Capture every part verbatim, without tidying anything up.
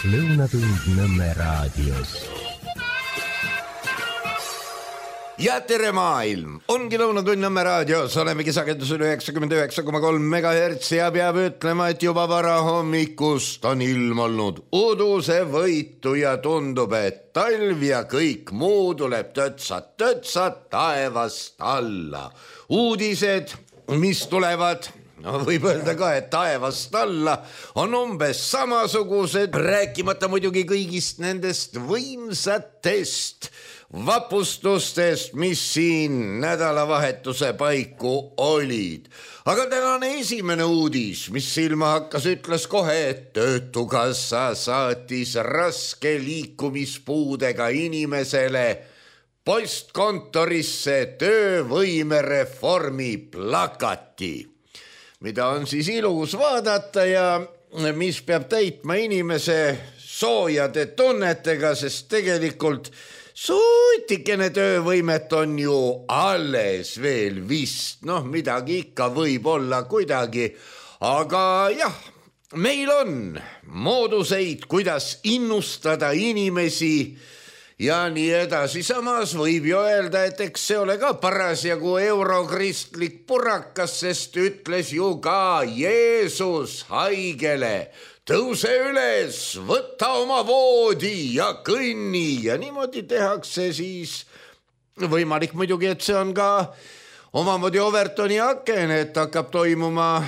Lõunatund Nõmme raadios. Ja tere maailm! Ongi Lõunatund Nõmme raadios, olemegi sagedusel üheksakümmend üheksa koma kolm megahertsi ja peab ütlema, et juba varahommikust on ilm olnud udusevõitu ja tundub, et talv ja kõik muu tuleb tötsat-tötsat taevast alla. Uudised, mis tulevad, no võib öelda ka, et taevast alla on umbes samasugused, rääkimata muidugi kõigist nendest võimsatest vapustustest, mis siin nädalavahetuse paiku olid. Aga tänane esimene uudis, mis silma hakkas, ütles kohe, et Töötukassa saatis raske liikumispuudega inimesele postkontorisse töövõimereformi plakati, mida on siis ilus vaadata ja mis peab täitma inimese soojade tunnetega, sest tegelikult suutikene töövõimet on ju alles veel vist, noh midagi ikka võib olla kuidagi, aga jah, meil on mooduseid, kuidas innustada inimesi ja nii edasi. Samas võib ju öelda, et eks see ole ka parasjagu eurokristlik purakas, sest ütles ju ka Jeesus haigele, tõuse üles, võta oma voodi ja kõnni ja niimoodi tehakse siis. Võimalik muidugi, et see on ka omamoodi Overtoni aken, et hakkab toimuma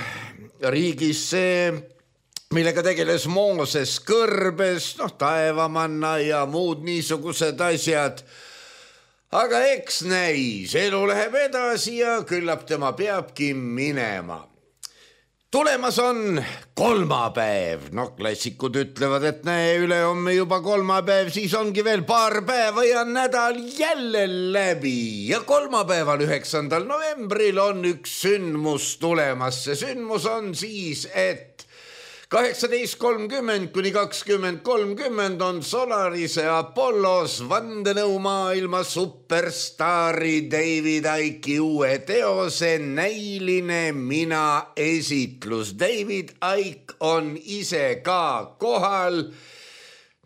riigis see, millega tegeles Mooses kõrbes, noh taevamanna ja muud niisugused asjad. Aga eks näis, elu läheb edasi ja küllap tema peabki minema. Tulemas on kolmapäev, no klassikud ütlevad, et näe, üle homme juba kolmapäev, siis ongi veel paar päeva ja nädal jälle läbi. Ja kolmapäeval üheksandal novembril on üks sündmus tulemas. See sündmus on siis, et kaheksateist kolmkümmend kuni kakskümmend kolmkümmend on Solarise Apollos vandenõumaailma superstaari David Icke'i uue teose Näiline mina esitlus. David Icke on ise ka kohal.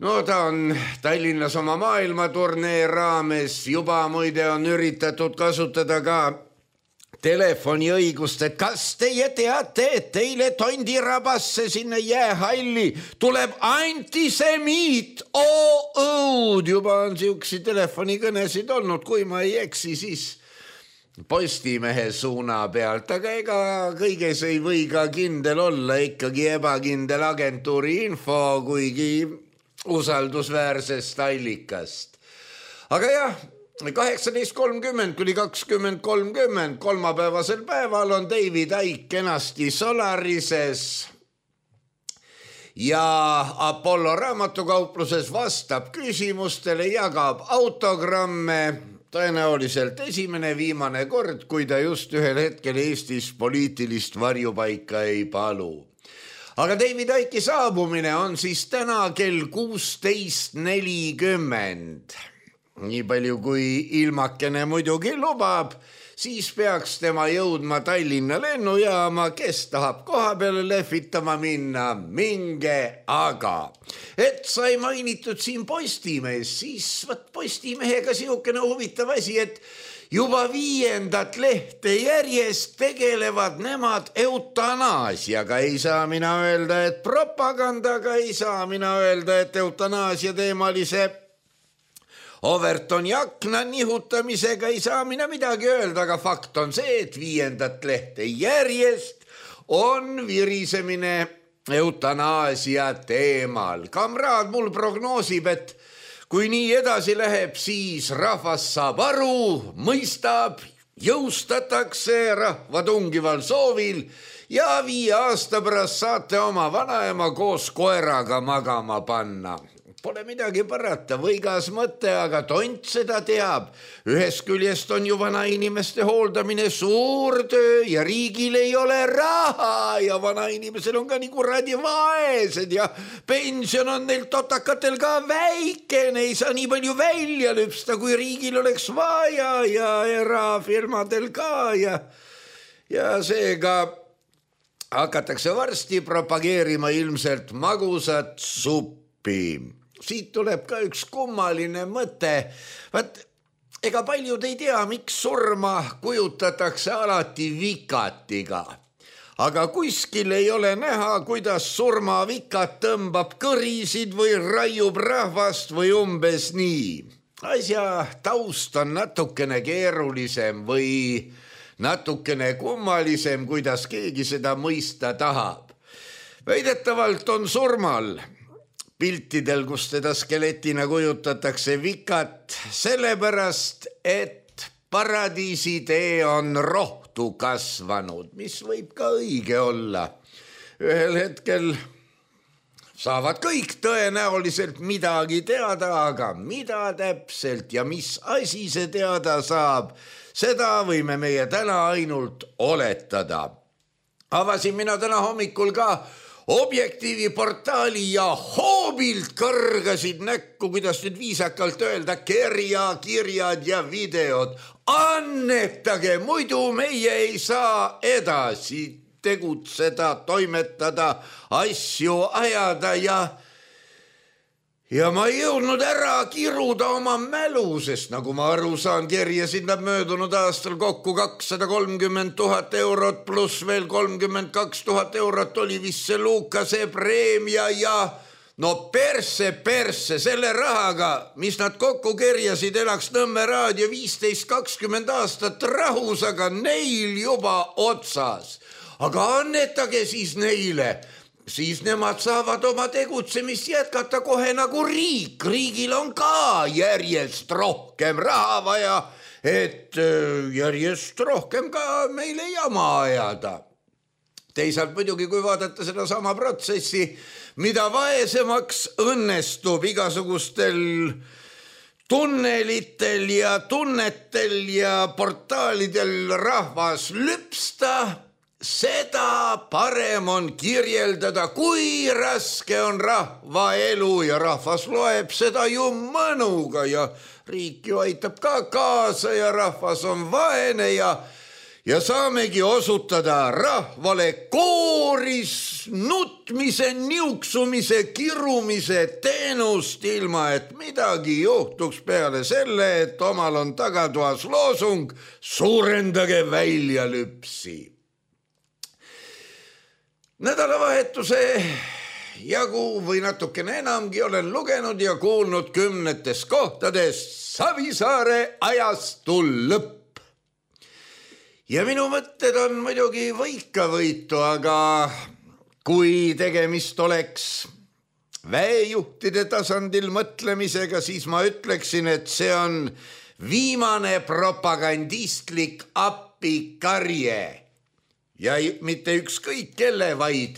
No ta on Tallinnas oma maailmaturnee raames, juba muide on üritatud kasutada ka telefoniõigust, et kas teie teate, et teile tondirabasse sinna jäähalli tuleb antisemiit, oo-õud, juba on siuksi telefonikõnesid olnud, kui ma ei eksi, siis Postimehe suuna pealt, aga ega kõiges ei või ka kindel olla, ikkagi ebakindel agentuuri info, kuigi usaldusväärsest allikast. Aga jah, kaheksateist kolmkümmend kuni kakskümmend kolmkümmend kolmapäevasel päeval on David Icke kenasti Solarises ja Apollo raamatukaupluses vastab küsimustele, jagab autogramme, tõenäoliselt esimene viimane kord, kui ta just ühel hetkel Eestis poliitilist varjupaika ei palu. Aga David Icke'i saabumine on siis täna kell kuusteist nelikümmend. Nii palju kui ilmakene muidugi lubab, siis peaks tema jõudma Tallinna lennujaama, kes tahab koha peale lehvitama minna, minge aga. Et sai mainitud siin Postimees, siis võt Postimehega siukene huvitav asi, et juba viiendat lehte järjest tegelevad nemad eutanaasiaga. Ei saa mina öelda, et propagandaga, ei saa mina öelda, et eutanaasia teemalise Overtoni akna nihutamisega ei saa mina midagi öelda, aga fakt on see, et viiendat lehte järjest on virisemine eutanaasia teemal. Kamraad mul prognoosib, et kui nii edasi läheb, siis rahvas saab aru, mõistab, jõustatakse rahva tungival soovil ja viie aasta pärast saate oma vanaema koos koeraga magama panna. Pole midagi parata, võigas mõte, aga tont seda teab. Ühest küljest on ju vana inimeste hooldamine suur töö ja riigil ei ole raha ja vana inimesel on ka nii kuradi vaesed ja pension on neil totakatel ka väikene, ei saa nii palju välja lüpsta, kui riigil oleks vaja ja erafirmadel ka ja, ja seega hakatakse varsti propageerima ilmselt magusat suppi. appi. Siit tuleb ka üks kummaline mõte. Vaat, ega paljud ei tea, miks surma kujutatakse alati vikatiga. Aga kuskil ei ole näha, kuidas surmavikat tõmbab kõrisid või raiub rahvast või umbes nii. Asja taust on natukene keerulisem või natukene kummalisem, kuidas keegi seda mõista tahab. Väidetavalt on surmal piltidel, kus teda skeletina kujutatakse vikat, sellepärast, et paradiisitee on rohtu kasvanud, mis võib ka õige olla. Ühel hetkel saavad kõik tõenäoliselt midagi teada, aga mida täpselt ja mis asi see teada saab, seda võime meie täna ainult oletada. Avasin mina täna hommikul ka Objektiivi portaali ja hoobilt kõrgasid näkku, kuidas nüüd viisakalt öelda, kerja, kirjad ja videod. Annetage, muidu meie ei saa edasi tegutseda, toimetada, asju ajada ja ja ma ei jõudnud ära kiruda oma mälu, sest nagu ma aru saan, kerjasid nad möödunud aastal kokku kakssada kolmkümmend tuhat eurot pluss veel kolmkümmend kaks tuhat eurot oli vist see Lukase preemia ja no perse, perse, selle rahaga, mis nad kokku kerjasid, elaks Nõmme raadio viisteist kakskümmend aastat rahus, aga neil juba otsas. Aga annetage siis neile. Siis nemad saavad oma tegutsemist jätkata kohe nagu riik. Riigil on ka järjest rohkem raha vaja, et järjest rohkem ka meile jama ajada. Teisalt muidugi, kui vaadata seda sama protsessi, mida vaesemaks õnnestub igasugustel tunnelitel ja tunnetel ja portaalidel rahvas lüpsta, seda parem on kirjeldada, kui raske on rahva elu ja rahvas loeb seda ju mõnuga ja riik ju aitab ka kaasa ja rahvas on vaene ja, ja saamegi osutada rahvale kooris nutmise, niuksumise, kirumise teenust ilma, et midagi juhtuks peale selle, et omal on tagatoas loosung suurendage välja lüpsi. Nädalavahetuse jagu või natukene enamgi olen lugenud ja kuulnud kümnetes kohtades Savisaare ajastu lõpp. Ja minu mõtted on muidugi võikavõitu, aga kui tegemist oleks väejuhtide tasandil mõtlemisega, siis ma ütleksin, et see on viimane propagandistlik appikarje. Ja mitte ükskõik kelle, vaid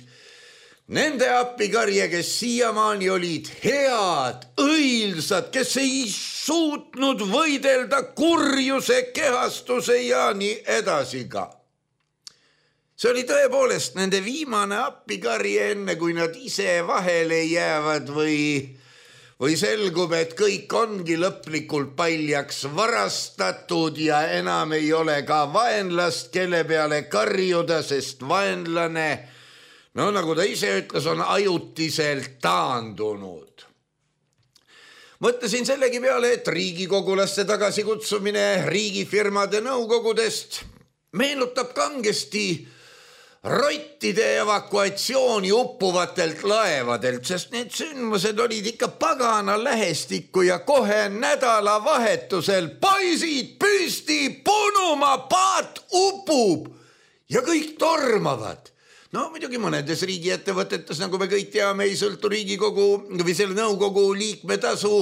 nende appikarje, kes siiamaani olid head, õilsad, kes ei suutnud võidelda kurjuse, kehastuse ja nii edasi ka. See oli tõepoolest nende viimane appikarje enne, kui nad ise vahele jäävad või, või selgub, et kõik ongi lõplikult paljaks varastatud ja enam ei ole ka vaenlast, kelle peale karjuda, sest vaenlane, no nagu ta ise ütles, on ajutiselt taandunud. Mõtlesin sellegi peale, et riigikogulaste tagasikutsumine riigifirmade nõukogudest meenutab kangesti rottide evakuatsiooni uppuvatelt laevadelt, sest need sündmused olid ikka pagana lähestikku ja kohe nädalavahetusel poisid püsti, punuma, paat upub ja kõik tormavad. No muidugi mõnedes riigiettevõtetes, nagu me kõik teame, ei sõltu riigikogu või selle nõukogu liikmetasu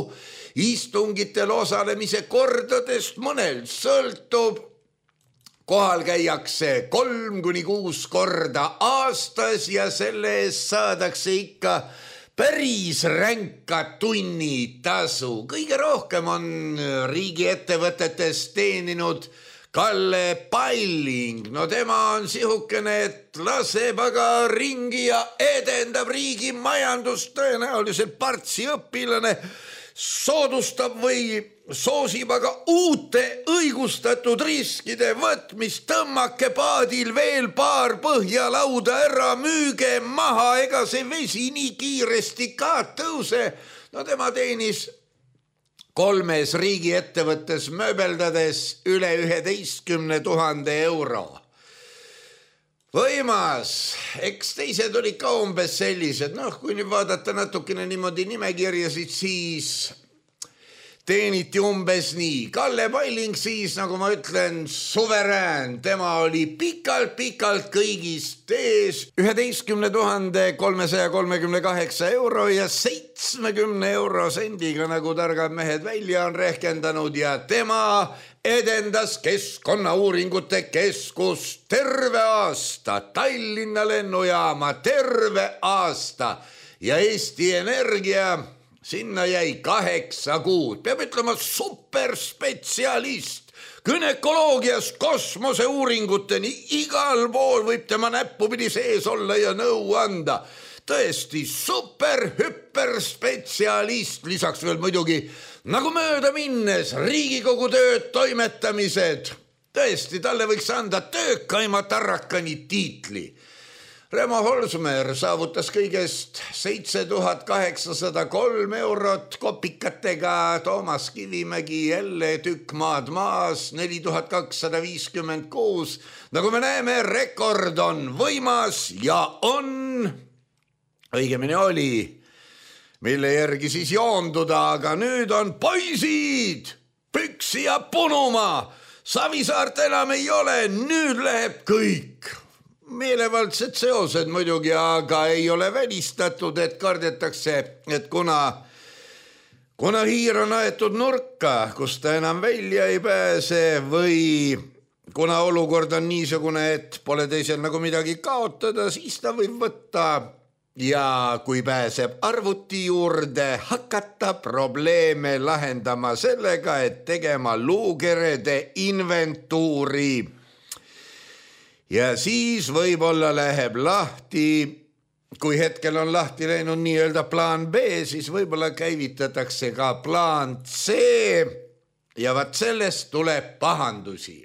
istungitel osalemise kordadest, mõnel sõltub. Kohal käiakse kolm kuni kuus korda aastas ja selle eest saadakse ikka päris ränka tunnitasu. Kõige rohkem on riigiettevõtetes teeninud Kalle Palling. No tema on sihukene, et laseb aga ringi ja edendab riigi majandust, tõenäoliselt partsi õpilane, soodustab või soosib aga uute õigustatud riskide võtmist, tõmmake paadil veel paar põhjalauda ära, müüge maha, ega see vesi nii kiiresti ka tõuse. No tema teenis kolmes riigiettevõttes mööbeldades üle üheteistkümne tuhande euro. Võimas, eks teised olid ka umbes sellised, noh, kui nüüd vaadata natukene niimoodi nimekirjasid, siis teeniti umbes nii. Kalle Palling siis, nagu ma ütlen, suverään, tema oli pikalt-pikalt kõigist ees, üheteistkümne tuhande kolmesaja kolmekümne kaheksa euro ja seitsmekümne euro sendiga, nagu targad mehed välja on rehkendanud, ja tema edendas Keskkonnauuringute Keskus terve aasta, Tallinna lennujaama terve aasta ja Eesti Energia sinna jäi kaheksa kuud. Peab ütlema superspetsialist, günekoloogiast kosmoseuuringuteni, igal pool võib tema näppupidi sees olla ja nõu anda. Tõesti super hüperspetsialist, lisaks veel muidugi nagu mööda minnes Riigikogu tööd toimetamised. Tõesti, talle võiks anda töökaima tarrakani tiitli. Remo Holsmer saavutas kõigest seitse tuhat kaheksasada kolm eurot kopikatega, Toomas Kivimägi jälle tükk maad maas, neli tuhat kakssada viiskümmend kuus. Nagu me näeme, rekord on võimas ja on, õigemini oli, mille järgi siis joonduda, aga nüüd on poisid, püksi ja punuma. Savisaart enam ei ole, nüüd läheb kõik. Meelevaldsed seosed muidugi, aga ei ole välistatud, et kardetakse, et kuna, kuna hiir on aetud nurka, kus ta enam välja ei pääse või kuna olukord on niisugune, et pole teisel nagu midagi kaotada, siis ta võib võtta ja kui pääseb arvuti juurde, hakata probleeme lahendama sellega, et tegema luukerede inventuuri. Ja siis võib-olla läheb lahti, kui hetkel on lahti läinud nii-öelda plaan B, siis võib-olla käivitatakse ka plaan C ja vaat sellest tuleb pahandusi.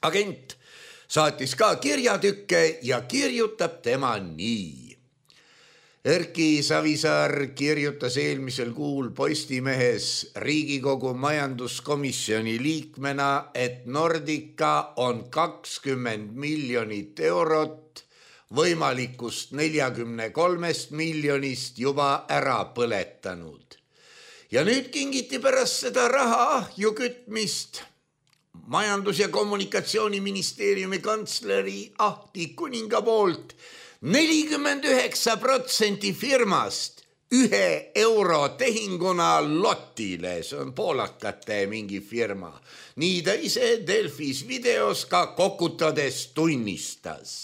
Agent saatis ka kirjatükke ja kirjutab tema nii. Erki Savisaar kirjutas eelmisel kuul Postimehes Riigikogu majanduskomisjoni liikmena, et Nordica on kakskümmend miljonit eurot võimalikust neljakümne kolmest miljonist juba ära põletanud. Ja nüüd kingiti pärast seda raha ahju kütmist Majandus- ja Kommunikatsiooniministeeriumi kantsleri Ahti Kuninga poolt nelikümmend üheksa protsenti firmast ühe euro tehinguna Lotile, see on poolakate mingi firma. Nii ta ise Delfis videos ka kokutades tunnistas.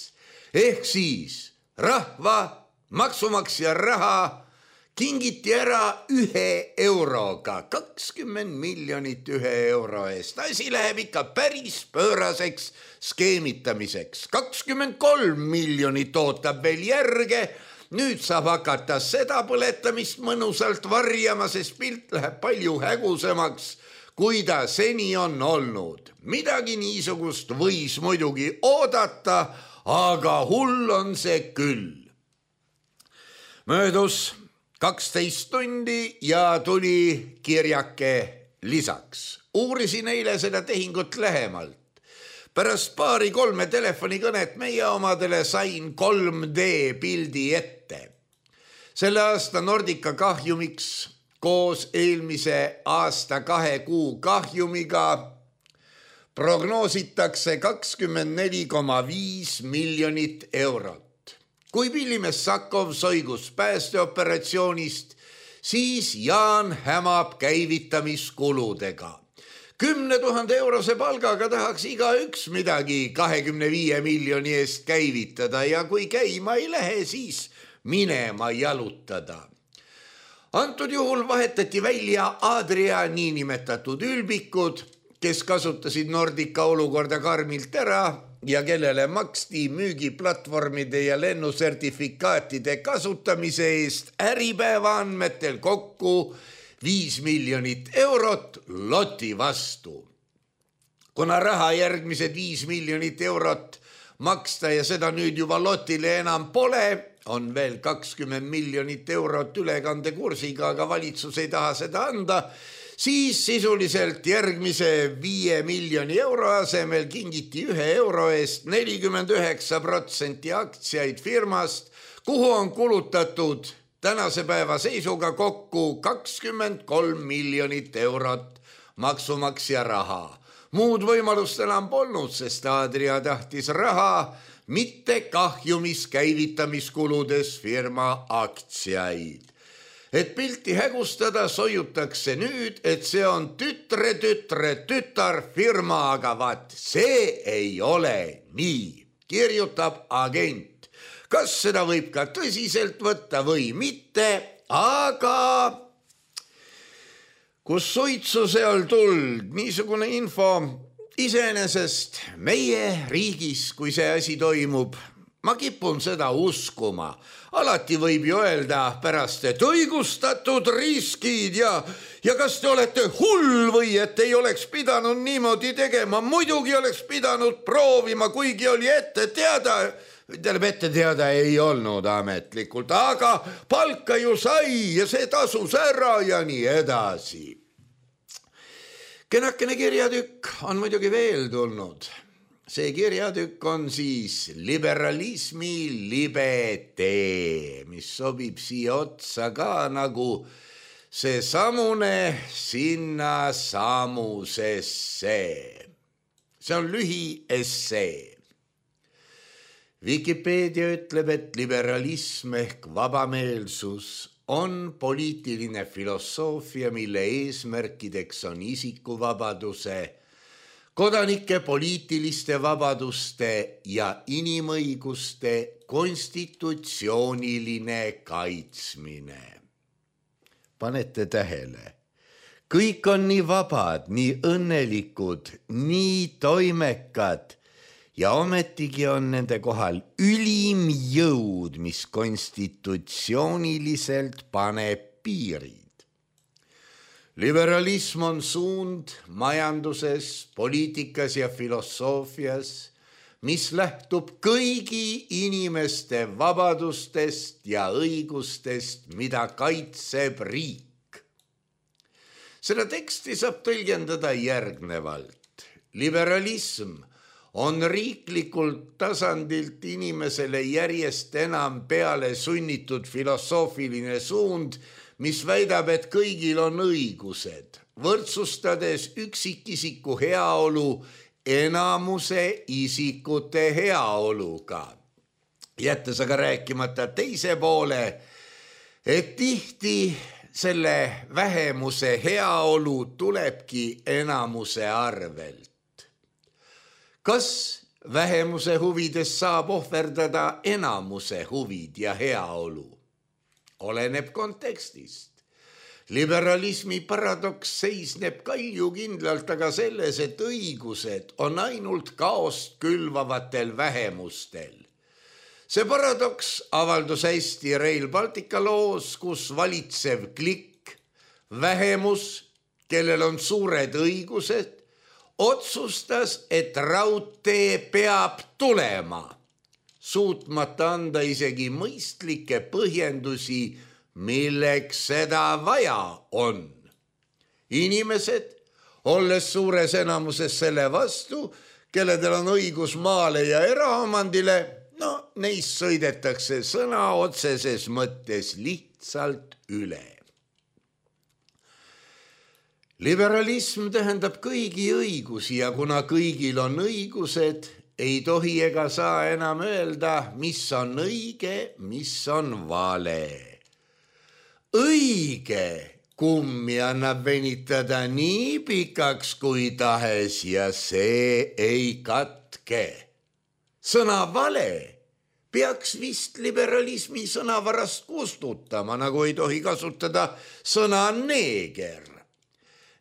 Ehk siis rahva maksumaksja raha kingiti ära ühe euroga, kakskümmend miljonit ühe euro eest. Asi läheb ikka päris pööraseks skeemitamiseks. kakskümmend kolm miljonit ootab veel järge. Nüüd saab hakata seda põletamist mõnusalt varjama, sest pilt läheb palju hägusemaks, kui ta seni on olnud. Midagi niisugust võis muidugi oodata, aga hull on see küll. Möödus kaksteist tundi ja tuli kirjake lisaks. Uurisin eile seda tehingut lähemalt. Pärast paari kolme telefonikõnet meie omadele sain kolm D pildi ette. Selle aasta Nordica kahjumiks koos eelmise aasta kahe kuu kahjumiga prognoositakse kakskümmend neli koma viis miljonit eurot. Kui Pillimees Sakov soigus päästeoperatsioonist, siis Jaan hämab käivitamiskuludega. Kümne tuhande eurose palgaga tahaks iga üks midagi kahekümne viie miljoni eest käivitada ja kui käima ei lähe, siis minema jalutada. Antud juhul vahetati välja Adria niinimetatud ülbikud, kes kasutasid Nordica olukorda karmilt ära ja kellele maksti müügiplatvormide ja lennusertifikaatide kasutamise eest Äripäeva andmetel kokku viis miljonit eurot loti vastu. Kuna raha järgmised viis miljonit eurot maksta ja seda nüüd juba lotile enam pole, on veel kakskümmend miljonit eurot ülekandekursiga, aga valitsus ei taha seda anda, siis sisuliselt järgmise viie miljoni euro asemel kingiti ühe euro eest nelikümmend üheksa protsenti aktsiaid firmast, kuhu on kulutatud tänase päeva seisuga kokku kakskümmend kolm miljonit eurot maksumaksja raha. Muud võimalust enam polnud, sest Adria tahtis raha, mitte kahjumis käivitamiskuludes firma aktsiaid. Et pilti hägustada, sojutakse nüüd, et see on tütre, tütre, tütar firma, aga vaat see ei ole nii, kirjutab agent. Kas seda võib ka tõsiselt võtta või mitte, aga kus suitsu seal tuld, niisugune info iseenesest meie riigis, kui see asi toimub, ma kipun seda uskuma. Alati võib ju öelda pärast, et õigustatud riskid ja, ja kas te olete hull või et ei oleks pidanud niimoodi tegema, muidugi oleks pidanud proovima, kuigi oli ette teada, tähendab ette teada ei olnud ametlikult, aga palka ju sai ja see tasus ära ja nii edasi. Kenakene kirjatükk on muidugi veel tulnud. See kirjatükk on siis liberalismi libe tee, mis sobib siia otsa ka nagu see samune sinna samusesse. See on lühiessee. Wikipedia ütleb, et liberalism ehk vabameelsus on poliitiline filosoofia, mille eesmärkideks on isikuvabaduse, kodanike poliitiliste vabaduste ja inimõiguste konstitutsiooniline kaitsmine. Panete tähele, kõik on nii vabad, nii õnnelikud, nii toimekad ja ometigi on nende kohal ülim jõud, mis konstitutsiooniliselt paneb piirid. Liberalism on suund majanduses, poliitikas ja filosoofias, mis lähtub kõigi inimeste vabadustest ja õigustest, mida kaitseb riik. Seda teksti saab tõlgendada järgnevalt. Liberalism on riiklikult tasandilt inimesele järjest enam peale sunnitud filosoofiline suund, mis väidab, et kõigil on õigused, võrdsustades üksikisiku heaolu enamuse isikute heaoluga. Jättes aga rääkimata teise poole, et tihti selle vähemuse heaolu tulebki enamuse arvelt. Kas vähemuse huvides saab ohverdada enamuse huvid ja heaolu? Oleneb kontekstist. Liberalismi paradoks seisneb kaljukindlalt aga selles, et õigused on ainult kaost külvavatel vähemustel. See paradoks avaldus hästi Rail Baltica loos, kus valitsev klikk, vähemus, kellel on suured õigused, otsustas, et raudtee peab tulema, suutmata anda isegi mõistlikke põhjendusi, milleks seda vaja on. Inimesed, olles suures enamuses selle vastu, kelledel on õigus maale ja eraomandile, no neist sõidetakse sõna otseses mõttes lihtsalt üle. Liberalism tähendab kõigi õigusi ja kuna kõigil on õigused, ei tohi ega saa enam öelda, mis on õige, mis on vale. Õige kummi annab venitada nii pikaks kui tahes ja see ei katke. Sõna vale peaks vist liberalismi sõnavarast kustutama, nagu ei tohi kasutada sõna neeger.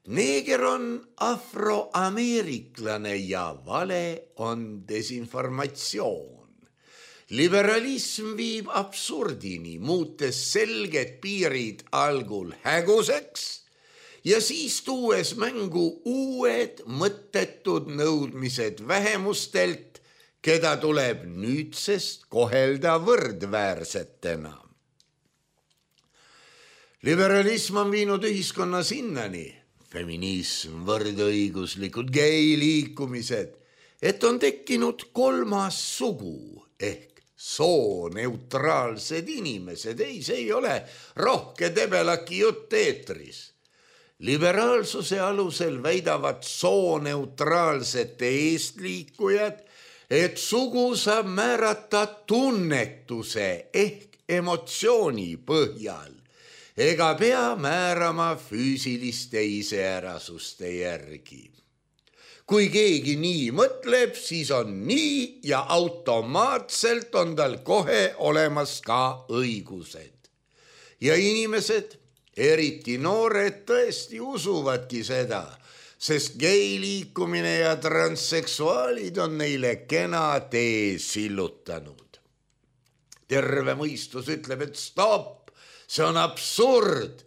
Neeger on afroameeriklane ja vale on desinformatsioon. Liberalism viib absurdini, muutes selged piirid algul häguseks ja siis tuues mängu uued mõttetud nõudmised vähemustelt, keda tuleb nüüdsest kohelda võrdväärsetena. Liberalism on viinud ühiskonna sinnani, feminism, võrdõiguslikud geiliikumised, et on tekkinud kolmas sugu ehk sooneutraalsed inimesed. Ei, see ei ole rohke debelaki jutt eetris. Liberaalsuse alusel väidavad sooneutraalsete eestliikujad, et sugu saab määrata tunnetuse ehk emotsiooni põhjal ega pea määrama füüsiliste iseärasuste järgi. Kui keegi nii mõtleb, siis on nii ja automaatselt on tal kohe olemas ka õigused. Ja inimesed, eriti noored, tõesti usuvadki seda, sest geiliikumine ja transseksuaalid on neile kena tee sillutanud. Terve mõistus ütleb, et stopp, see on absurd.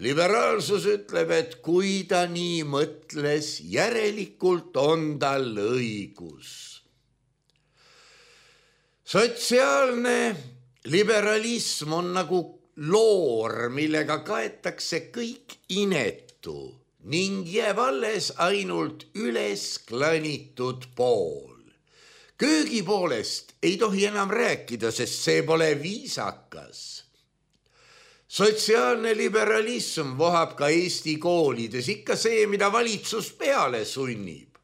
Liberaalsus ütleb, et kui ta nii mõtles, järelikult on tal õigus. Sotsiaalne liberalism on nagu loor, millega kaetakse kõik inetu ning jääb alles ainult üles klanitud pool. Köögi poolest ei tohi enam rääkida, sest see pole viisakas. Sotsiaalne liberalism vohab ka Eesti koolides, ikka see, mida valitsus peale sunnib.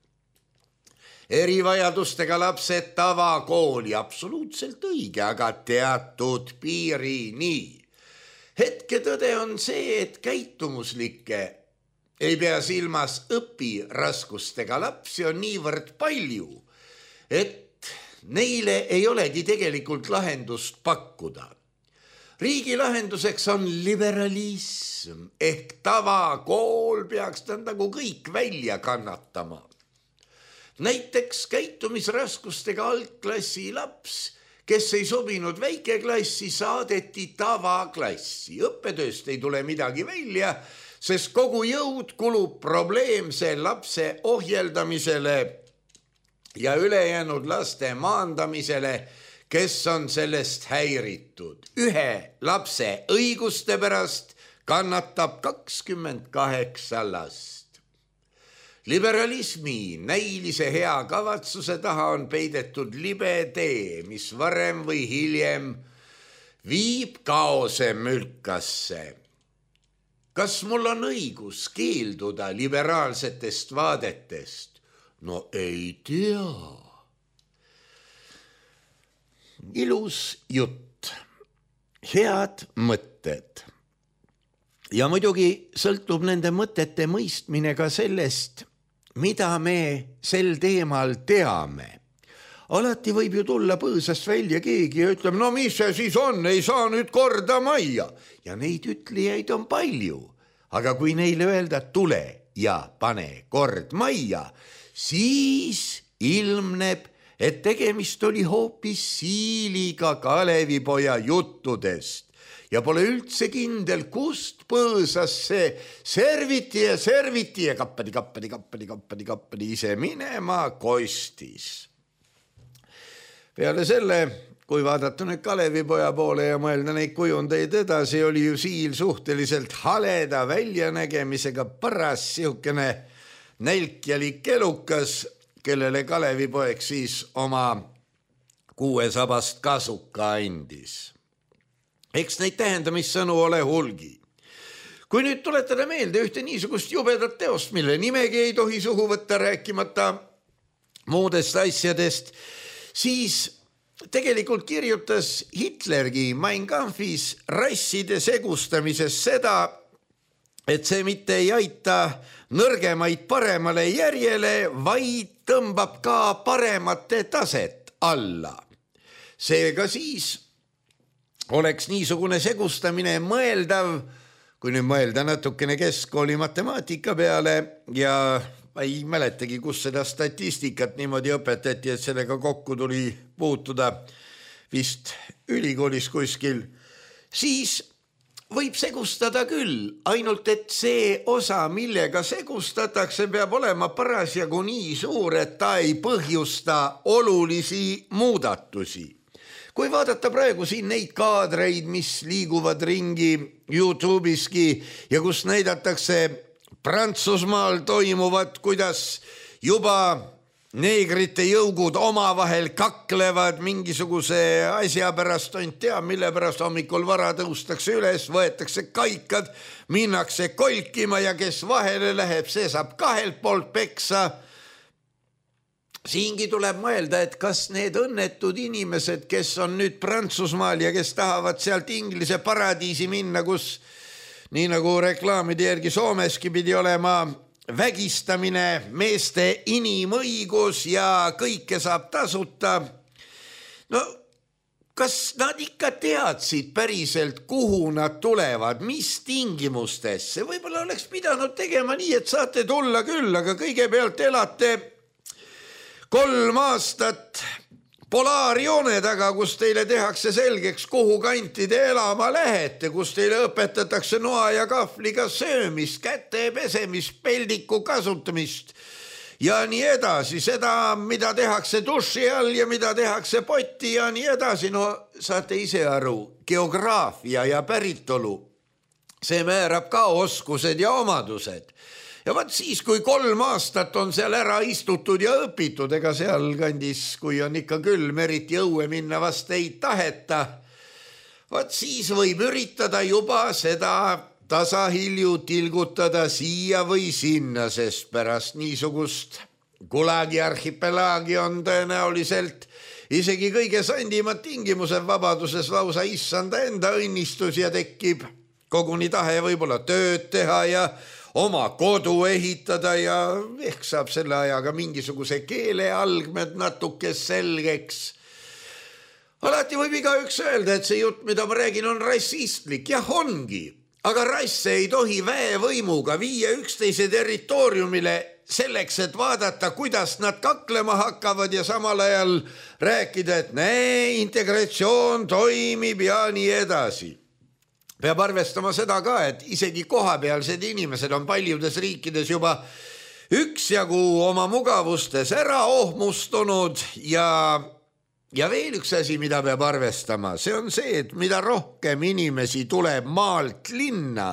Erivajadustega lapsed tavakooli, absoluutselt õige, aga teatud piirini. Hetke tõde on see, et käitumuslikke ei pea silmas õpiraskustega lapsi on niivõrd palju, et neile ei olegi tegelikult lahendust pakkuda. Riigi lahenduseks on liberalism ehk tavakool peaks ta nagu kõik välja kannatama. Näiteks käitumisraskustega algklassi laps, kes ei sobinud väikeklassi, saadeti tavaklassi. Õppetööst ei tule midagi välja, sest kogu jõud kulub probleemse lapse ohjeldamisele ja ülejäänud laste maandamisele, kes on sellest häiritud. Ühe lapse õiguste pärast kannatab kakskümmend kaheksa last. Liberalismi näilise hea kavatsuse taha on peidetud libe tee, mis varem või hiljem viib kaose mülkasse. Kas mul on õigus keelduda liberaalsetest vaadetest? No ei tea. Ilus jutt, head mõtted. Ja muidugi sõltub nende mõtete mõistmine ka sellest, mida me sel teemal teame. Alati võib ju tulla põõsast välja keegi ja ütleb, no mis see siis on, ei saa nüüd korda majja. Ja neid ütlejaid on palju, aga kui neile öelda, tule ja pane kord majja, siis ilmneb, et tegemist oli hoopis siiliga Kalevipoja juttudest ja pole üldse kindel, kust põõsas see serviti ja serviti ja kappadi, kappadi, kappadi, kappadi, kappadi ise minema kostis. Peale selle, kui vaadata nüüd Kalevipoja poole ja mõelda neid kujundeid edasi, oli ju siil suhteliselt haleda väljanägemisega paras sihukene nälkjalik elukas, kellele Kalevipoeg siis oma kuuesabast kasuka andis. Eks neid tähendamissõnu ole hulgi. Kui nüüd tuletada meelde ühte niisugust jubedat teost, mille nimegi ei tohi suhu võtta rääkimata muudest asjadest, siis tegelikult kirjutas Hitlergi Mein Kampfis rasside segustamises seda, et see mitte ei aita nõrgemaid paremale järjele, vaid tõmbab ka paremate taset alla. Seega siis oleks niisugune segustamine mõeldav, kui nüüd mõelda natukene keskkooli matemaatika peale ja ei mäletagi, kus seda statistikat niimoodi õpetati, et sellega kokku tuli puutuda vist ülikoolis kuskil, siis võib segustada küll, ainult et see osa, millega segustatakse, peab olema parasjagu nii suur, et ta ei põhjusta olulisi muudatusi. Kui vaadata praegu siin neid kaadreid, mis liiguvad ringi YouTube'iski ja kus näidatakse Prantsusmaal toimuvat, kuidas juba neegrite jõugud omavahel kaklevad mingisuguse asja pärast, on tea, mille pärast hommikul vara tõustakse üles, võetakse kaikad, minnakse kolkima ja kes vahele läheb, see saab kahelt poolt peksa. Siingi tuleb mõelda, et kas need õnnetud inimesed, kes on nüüd Prantsusmaal ja kes tahavad sealt Inglise paradiisi minna, kus nii nagu reklaamide järgi Soomeski pidi olema vägistamine, meeste inimõigus ja kõike saab tasuta. No kas nad ikka teadsid päriselt, kuhu nad tulevad, mis tingimustesse? Võib-olla oleks pidanud tegema nii, et saate tulla küll, aga kõigepealt elate kolm aastat polaarjoone taga, kus teile tehakse selgeks, kuhu kanti te elama lähete, kus teile õpetatakse noa ja kahvliga söömist, käte pesemist, peldiku kasutamist ja nii edasi. Seda, mida tehakse duši all ja mida tehakse potti ja nii edasi. No saate ise aru, geograafia ja päritolu, see määrab ka oskused ja omadused. Ja vaat siis, kui kolm aastat on seal ära istutud ja õpitud, ega seal kandis, kui on ikka külm, eriti õue minna vast ei taheta, vaat siis võib üritada juba seda tasahilju tilgutada siia või sinna, sest pärast niisugust Gulagi arhipelaagi on tõenäoliselt isegi kõige sandimad tingimused vabaduses lausa issanda enda õnnistus ja tekib koguni tahe võib-olla tööd teha ja oma kodu ehitada ja ehk saab selle ajaga mingisuguse keele algmed natuke selgeks. Alati võib igaüks öelda, et see jutt, mida ma räägin, on rassistlik. Jah, ongi, aga rasse ei tohi väevõimuga viia üksteise territooriumile selleks, et vaadata, kuidas nad kaklema hakkavad ja samal ajal rääkida, et näe, integratsioon toimib ja nii edasi. Peab arvestama seda ka, et isegi kohapealsed inimesed on paljudes riikides juba üksjagu oma mugavustes ära ohmustunud ja, ja veel üks asi, mida peab arvestama, see on see, et mida rohkem inimesi tuleb maalt linna,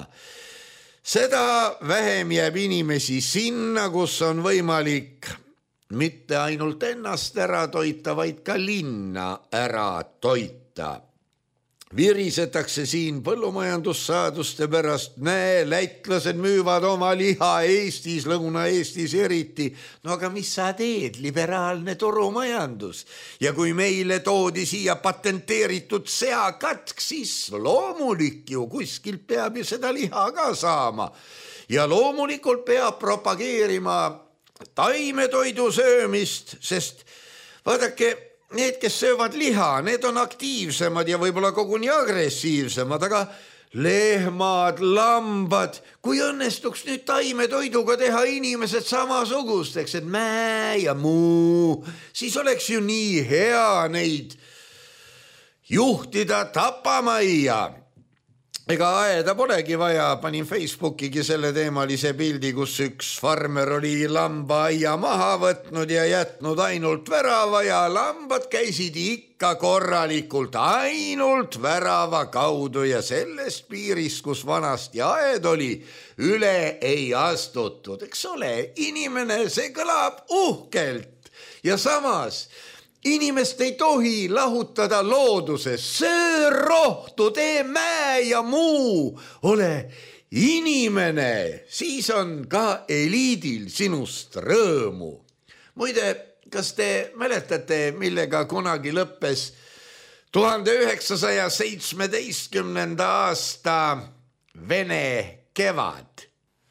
seda vähem jääb inimesi sinna, kus on võimalik mitte ainult ennast ära toita, vaid ka linna ära toita. Virisetakse siin põllumajandussaaduste pärast, näe, lätlased müüvad oma liha Eestis, Lõuna-Eestis eriti. No aga mis sa teed, liberaalne turumajandus? Ja kui meile toodi siia patenteeritud seakatk, siis loomulik ju kuskilt peab ju seda liha ka saama. Ja loomulikult peab propageerima taimetoidu söömist, sest vaadake, need, kes söövad liha, need on aktiivsemad ja võib-olla koguni agressiivsemad, aga lehmad, lambad, kui õnnestuks nüüd taimetoiduga teha inimesed samasugusteks, et mäe ja muu, siis oleks ju nii hea neid juhtida tapamajja. Ega aeda polegi vaja, panin Facebookigi selle teemalise pildi, kus üks farmer oli lamba aia maha võtnud ja jätnud ainult värava ja lambad käisid ikka korralikult ainult värava kaudu ja sellest piirist, kus vanasti aed oli, üle ei astutud. Eks ole, inimene, see kõlab uhkelt ja samas inimest ei tohi lahutada looduses, söö rohtu, tee mäe ja muu, ole inimene, siis on ka eliidil sinust rõõmu. Muide, kas te mäletate, millega kunagi lõppes tuhande üheksasaja seitsmeteistkümnenda aasta Vene kevad?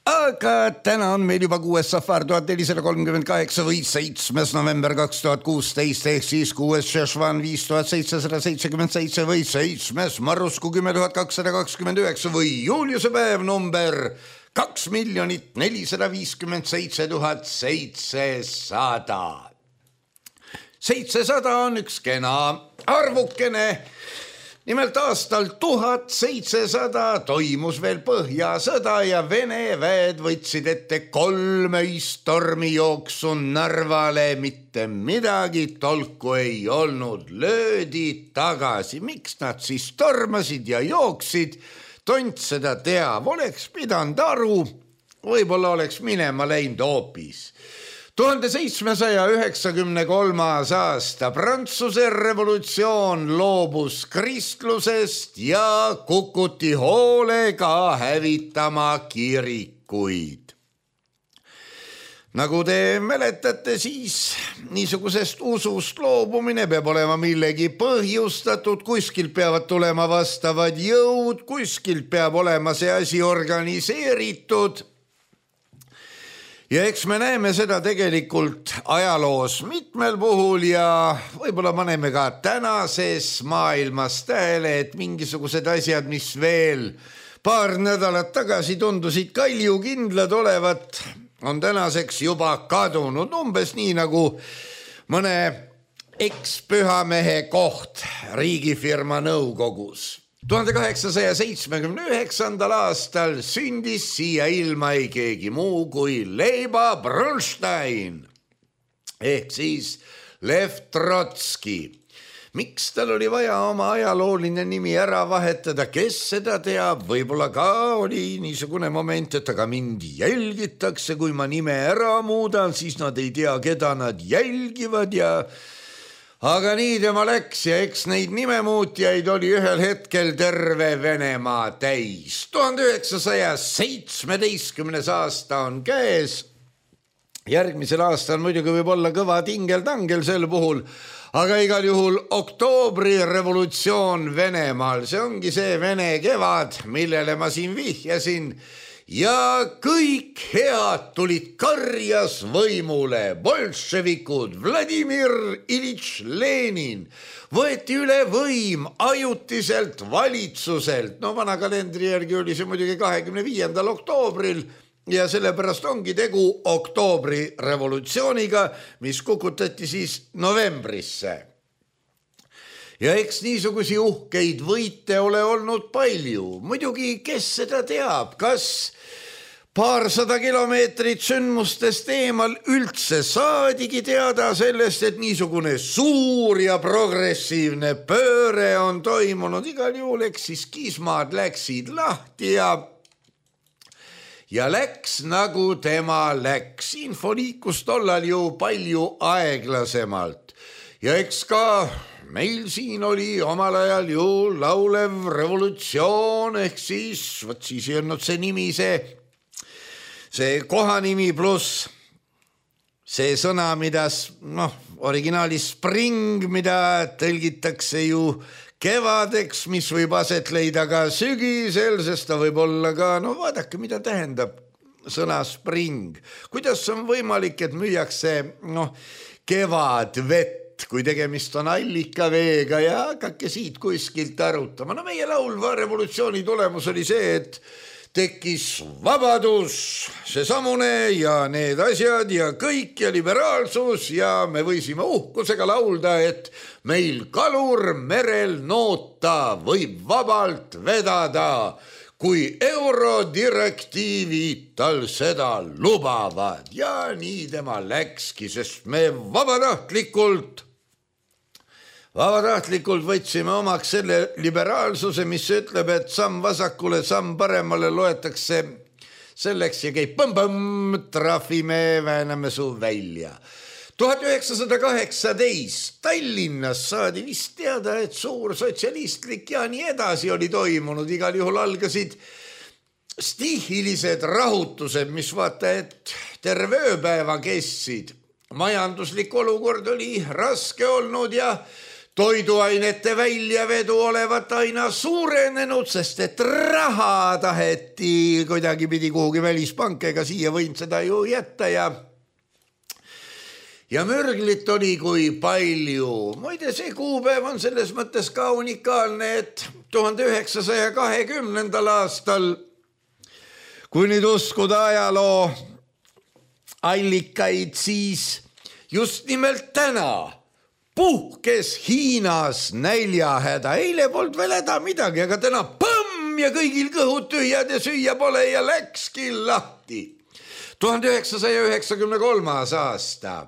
Aga täna on meil juba kuues safar tuhat nelisada kolmkümmend kaheksa või seitsmes november kaks tuhat kuusteist ehk siis kuues Šešvan viis tuhat seitsesada seitsekümmend seitse või seitsmes Marusku kümme tuhat kakssada kakskümmend üheksa või Juliuse päev number kaks miljonit nelisada viiskümmend seitse tuhat seitsesada. seitsesada on üks kena arvukene, nimelt aastal tuhat seitsesada toimus veel Põhjasõda ja Vene väed võtsid ette kolm öist tormijooksu Narvale, mitte midagi tolku ei olnud, löödi tagasi. Miks nad siis tormasid ja jooksid? Tont seda teab, oleks pidanud aru, võib-olla oleks minema läinud hoopis. tuhande seitsmesaja üheksakümne kolmas aasta Prantsuse revolutsioon loobus kristlusest ja kukuti hoolega hävitama kirikuid. Nagu te mäletate, siis niisugusest usust loobumine peab olema millegi põhjustatud, kuskilt peavad tulema vastavad jõud, kuskilt peab olema see asi organiseeritud. Ja eks me näeme seda tegelikult ajaloos mitmel puhul ja võib-olla paneme ka tänases maailmas tähele, et mingisugused asjad, mis veel paar nädalat tagasi tundusid kaljukindlad olevat, on tänaseks juba kadunud, umbes nii nagu mõne ekspühamehe koht riigifirma nõukogus. tuhande kaheksasaja seitsmekümne üheksandal aastal sündis siia ilma ei keegi muu kui Leiba Bronstein ehk siis Lev Trotski. Miks tal oli vaja oma ajalooline nimi ära vahetada, kes seda teab, võib-olla ka oli niisugune moment, et aga mind jälgitakse, kui ma nime ära muudan, siis nad ei tea, keda nad jälgivad ja aga nii tema läks ja eks neid nimemuutjaid oli ühel hetkel terve Venemaa täis. tuhande üheksasaja seitsmeteistkümnes aasta on käes. Järgmisel aastal muidugi võib olla kõva tingel-tangel sel puhul, aga igal juhul oktoobri revolutsioon Venemaal, see ongi see Vene kevad, millele ma siin vihjasin. Ja kõik head tulid karjas võimule, bolševikud, Vladimir Ilitš Lenin, võeti üle võim ajutiselt valitsuselt. No vana kalendri järgi oli see muidugi kahekümne viiendal oktoobril ja sellepärast ongi tegu oktoobri revolutsiooniga, mis kukutati siis novembrisse. Ja eks niisugusi uhkeid võite ole olnud palju. Muidugi, kes seda teab, kas paarsada kilomeetrit sündmustest eemal üldse saadigi teada sellest, et niisugune suur ja progressiivne pööre on toimunud. Igal juhul, eks siis kismad läksid lahti ja ja läks nagu tema läks. Info liikus tollal ju palju aeglasemalt ja eks ka meil siin oli omal ajal ju laulev revolutsioon ehk siis, võt siis ei olnud see nimi, see, see kohanimi pluss see sõna, mida noh, originaalis spring, mida tõlgitakse ju kevadeks, mis võib aset leida ka sügisel, sest ta võib olla ka, no vaadake, mida tähendab sõna spring. Kuidas on võimalik, et müüakse noh, kevadvett, kui tegemist on allikaveega ja hakake siit kuskilt arutama. No meie laulva revolutsiooni tulemus oli see, et tekkis vabadus, see samune ja need asjad ja kõik ja liberaalsus ja me võisime uhkusega laulda, et meil kalur merel noota võib vabalt vedada, kui eurodirektiivid tal seda lubavad. Ja nii tema läkski, sest me vabatahtlikult Vabatahtlikult võtsime omaks selle liberaalsuse, mis ütleb, et samm vasakule, samm paremale loetakse selleks ja käib põmm-põmm, trahvime, vääname su välja. tuhat üheksasada kaheksateist Tallinnas saadi vist teada, et suur sotsialistlik ja nii edasi oli toimunud. Igal juhul algasid stihilised rahutused, mis vaata, et terve ööpäeva kestsid. Majanduslik olukord oli raske olnud ja toiduainete väljavedu olevat aina suurenenud, sest et raha taheti kuidagi pidi kuhugi välispanka, ega siia võinud seda ju jätta ja ja mürglit oli kui palju. Muide, see kuupäev on selles mõttes ka unikaalne, et tuhande üheksasaja kahekümnendal aastal, kui nüüd uskuda ajaloo allikaid, siis just nimelt täna puhkes Hiinas näljahäda, eile polnud veel häda midagi, aga täna põmm ja kõigil kõhud tühjad ja süüa pole ja läkski lahti. tuhande üheksasaja üheksakümne kolmas aasta.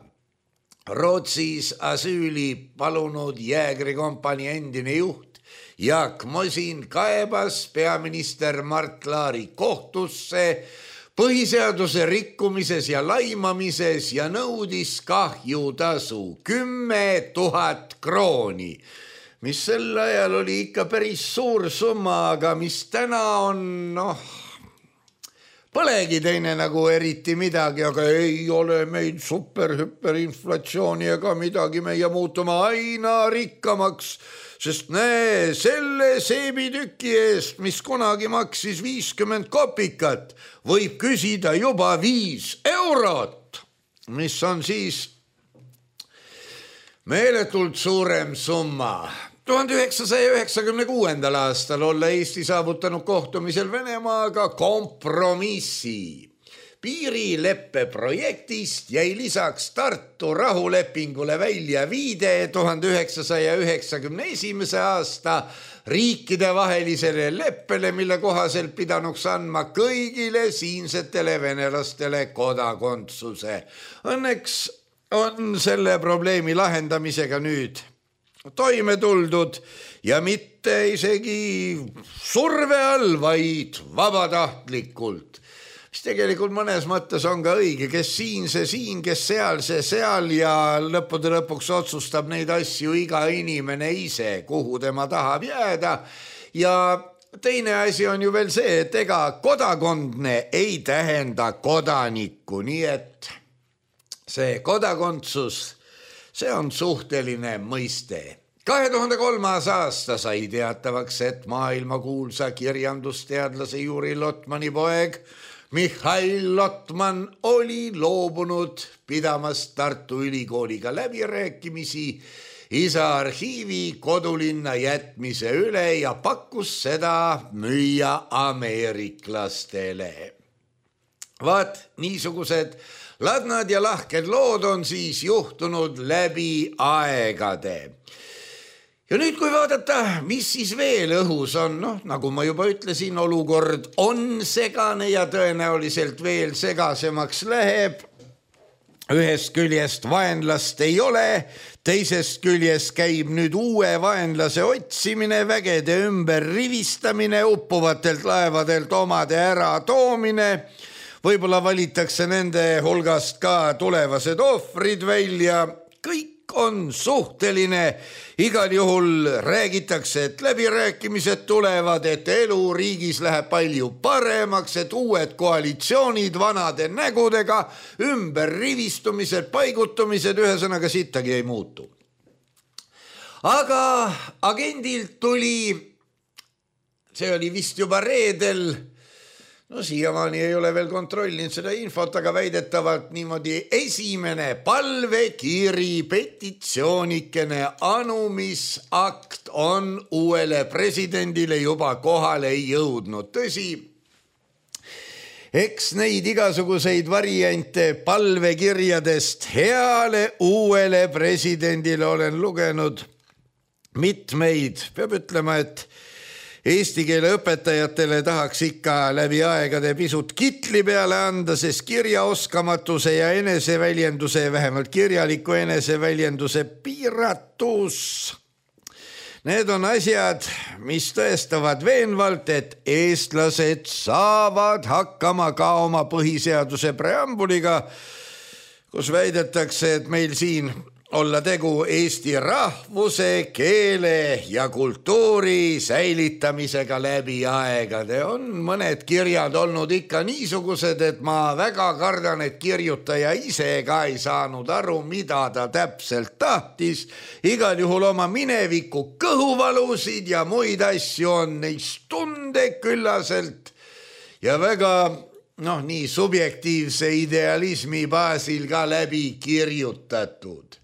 Rootsis asüüli palunud jäägrikompanii endine juht Jaak Mosin kaebas peaminister Mart Laari kohtusse põhiseaduse rikkumises ja laimamises ja nõudis kahjutasu kümme tuhat krooni, mis sel ajal oli ikka päris suur summa, aga mis täna on, noh, polegi teine nagu eriti midagi, aga ei ole meid super-hüperinflatsiooni ega midagi, meie muutume aina rikkamaks, sest näe, selle seebitüki eest, mis kunagi maksis viiskümmend kopikat, võib küsida juba viis eurot, mis on siis meeletult suurem summa. tuhande üheksasaja üheksakümne kuuendal aastal olla Eesti saavutanud kohtumisel Venemaaga kompromissi. Piirileppe projektist jäi lisaks Tartu rahulepingule välja viide tuhande üheksasaja üheksakümne esimese aasta riikidevahelisele leppele, mille kohaselt pidanuks andma kõigile siinsetele venelastele kodakondsuse. Õnneks on selle probleemi lahendamisega nüüd toime tuldud ja mitte isegi surve all, vaid vabatahtlikult. Mis tegelikult mõnes mõttes on ka õige, kes siin see siin, kes seal see seal ja lõppude lõpuks otsustab neid asju iga inimene ise, kuhu tema tahab jääda. Ja teine asi on ju veel see, et ega kodakondne ei tähenda kodanikku, nii et see kodakondsus, see on suhteline mõiste. kahe tuhande kolmas aasta sai teatavaks, et maailmakuulsa kirjandusteadlase Juri Lotmani poeg Mihhail Lotman oli loobunud pidamast Tartu Ülikooliga läbirääkimisi isa arhiivi kodulinna jätmise üle ja pakkus seda müüa ameeriklastele. Vaat niisugused ladnad ja lahked lood on siis juhtunud läbi aegade. Ja nüüd, kui vaadata, mis siis veel õhus on, noh, nagu ma juba ütlesin, olukord on segane ja tõenäoliselt veel segasemaks läheb. Ühest küljest vaenlast ei ole, teisest küljest käib nüüd uue vaenlase otsimine, vägede ümber rivistamine, uppuvatelt laevadelt omade ära toomine. Võib-olla valitakse nende hulgast ka tulevased ohvrid välja, kõik on suhteline, igal juhul räägitakse, et läbirääkimised tulevad, et elu riigis läheb palju paremaks, et uued koalitsioonid vanade nägudega, ümber rivistumised, paigutumised, ühesõnaga sittagi ei muutu. Aga agendilt tuli, see oli vist juba reedel, no siiamaani ei ole veel kontrollinud seda infot, aga väidetavalt niimoodi esimene palvekiri, petitsioonikene anumisakt on uuele presidendile juba kohale jõudnud. Tõsi, eks neid igasuguseid variante palvekirjadest heale uuele presidendile olen lugenud mitmeid. Peab ütlema, et eesti keele õpetajatele tahaks ikka läbi aegade pisut kitli peale anda, sest kirjaoskamatuse ja eneseväljenduse, vähemalt kirjaliku eneseväljenduse piiratus. Need on asjad, mis tõestavad veenvalt, et eestlased saavad hakkama ka oma põhiseaduse preambuliga, kus väidetakse, et meil siin olla tegu eesti rahvuse, keele ja kultuuri säilitamisega läbi aegade. On mõned kirjad olnud ikka niisugused, et ma väga kardan, et kirjutaja ise ka ei saanud aru, mida ta täpselt tahtis. Igal juhul oma mineviku kõhuvalusid ja muid asju on neist tunde küllaselt ja väga noh, nii subjektiivse idealismi baasil ka läbi kirjutatud.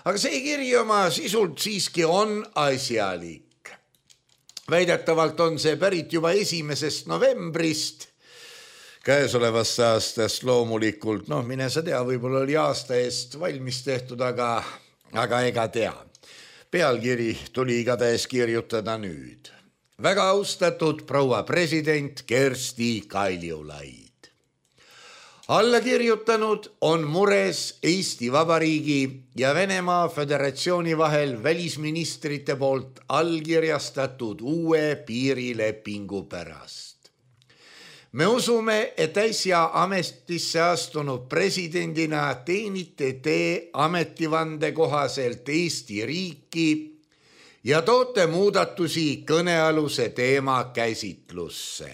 Aga see kiri oma sisult siiski on asjalik. Väidetavalt on see pärit juba esimesest novembrist käesolevast aastast loomulikult. Noh, mine sa tea, võib-olla oli aasta eest valmis tehtud, aga, aga ega tea. Pealkiri tuli igatahes kirjutada nüüd. Väga austatud proua president Kersti Kaljulaid. Alla kirjutanud on mures Eesti Vabariigi ja Venemaa Föderatsiooni vahel välisministrite poolt allkirjastatud uue piirilepingu pärast. Me usume, et äsja ametisse astunud presidendina teenite te ametivande kohaselt Eesti riiki ja toote muudatusi kõnealuse teema käsitlusse.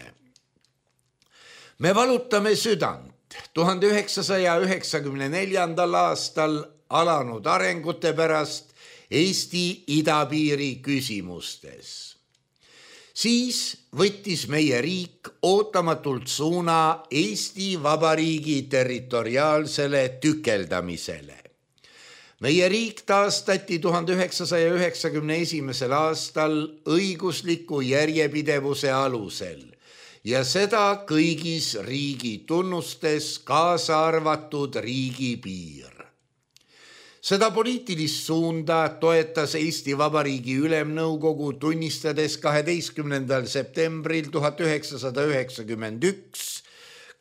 Me valutame südant tuhande üheksasaja üheksakümne neljandal aastal alanud arengute pärast Eesti idapiiri küsimustes. Siis võttis meie riik ootamatult suuna Eesti Vabariigi territoriaalsele tükeldamisele. Meie riik taastati tuhande üheksasaja üheksakümne esimesel aastal õigusliku järjepidevuse alusel ja seda kõigis riigi tunnustes, kaasa arvatud riigipiir. Seda poliitilist suunda toetas Eesti Vabariigi Ülemnõukogu tunnistades kaheteistkümnendal septembril tuhat üheksasada üheksakümmend üks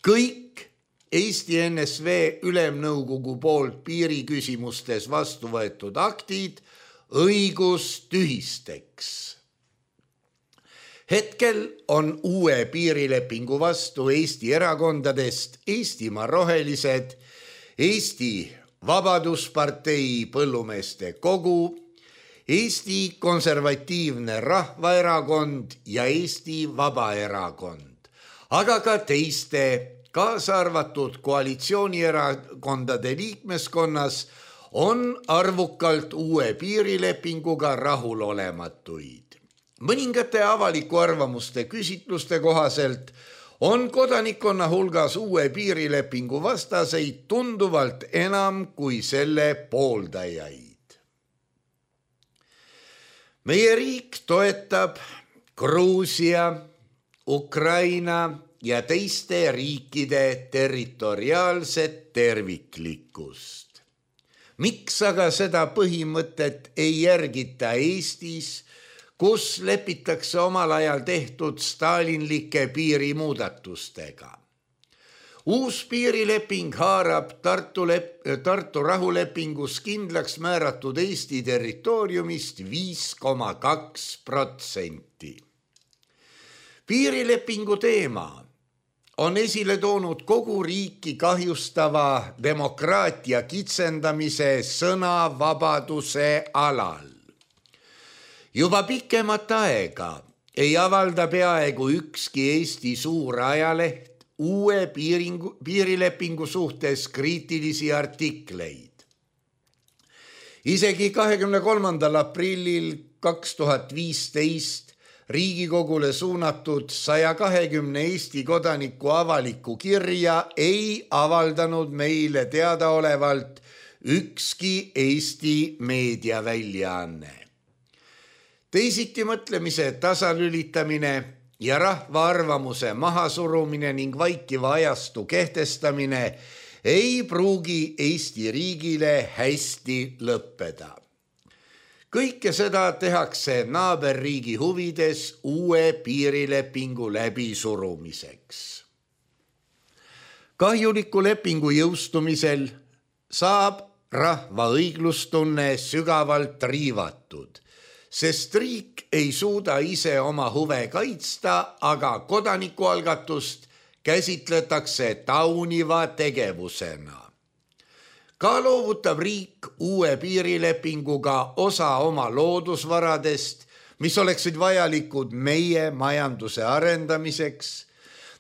kõik Eesti N S V Ülemnõukogu poolt piiriküsimustes vastu võetud aktid õigustühisteks. Hetkel on uue piirilepingu vastu Eesti erakondadest Eestimaa Rohelised, Eesti Vabaduspartei Põllumeeste Kogu, Eesti Konservatiivne Rahvaerakond ja Eesti Vabaerakond, aga ka teiste, kaasa arvatud koalitsioonierakondade liikmeskonnas on arvukalt uue piirilepinguga rahulolematuid. Mõningate avaliku arvamuste küsitluste kohaselt on kodanikkonna hulgas uue piirilepingu vastaseid tunduvalt enam kui selle pooldajaid. Meie riik toetab Gruusia, Ukraina ja teiste riikide territoriaalset terviklikkust. Miks aga seda põhimõtet ei järgita Eestis, kus lepitakse omal ajal tehtud stalinlike piirimuudatustega? Uus piirileping haarab Tartu, lep- Tartu rahulepingus kindlaks määratud Eesti territooriumist viis koma kaks protsenti. Piirilepingu teema on esile toonud kogu riiki kahjustava demokraatia kitsendamise sõnavabaduse alal. Juba pikemat aega ei avalda peaaegu ükski Eesti suur ajaleht uue piiringu, piirilepingu suhtes kriitilisi artikleid. Isegi kahekümne kolmandal aprillil kaks tuhat viisteist Riigikogule suunatud saja kahekümne Eesti kodaniku avaliku kirja ei avaldanud meile teadaolevalt ükski Eesti meediaväljaanne. Teisiti mõtlemise tasalülitamine ja rahva arvamuse mahasurumine ning vaikiva ajastu kehtestamine ei pruugi Eesti riigile hästi lõppeda. Kõike seda tehakse naaberriigi huvides uue piirilepingu läbisurumiseks. Kahjuliku lepingu jõustumisel saab rahva õiglustunne sügavalt riivatud, sest riik ei suuda ise oma huve kaitsta, aga kodanikualgatust käsitletakse tauniva tegevusena. Ka loovutab riik uue piirilepinguga osa oma loodusvaradest, mis oleksid vajalikud meie majanduse arendamiseks,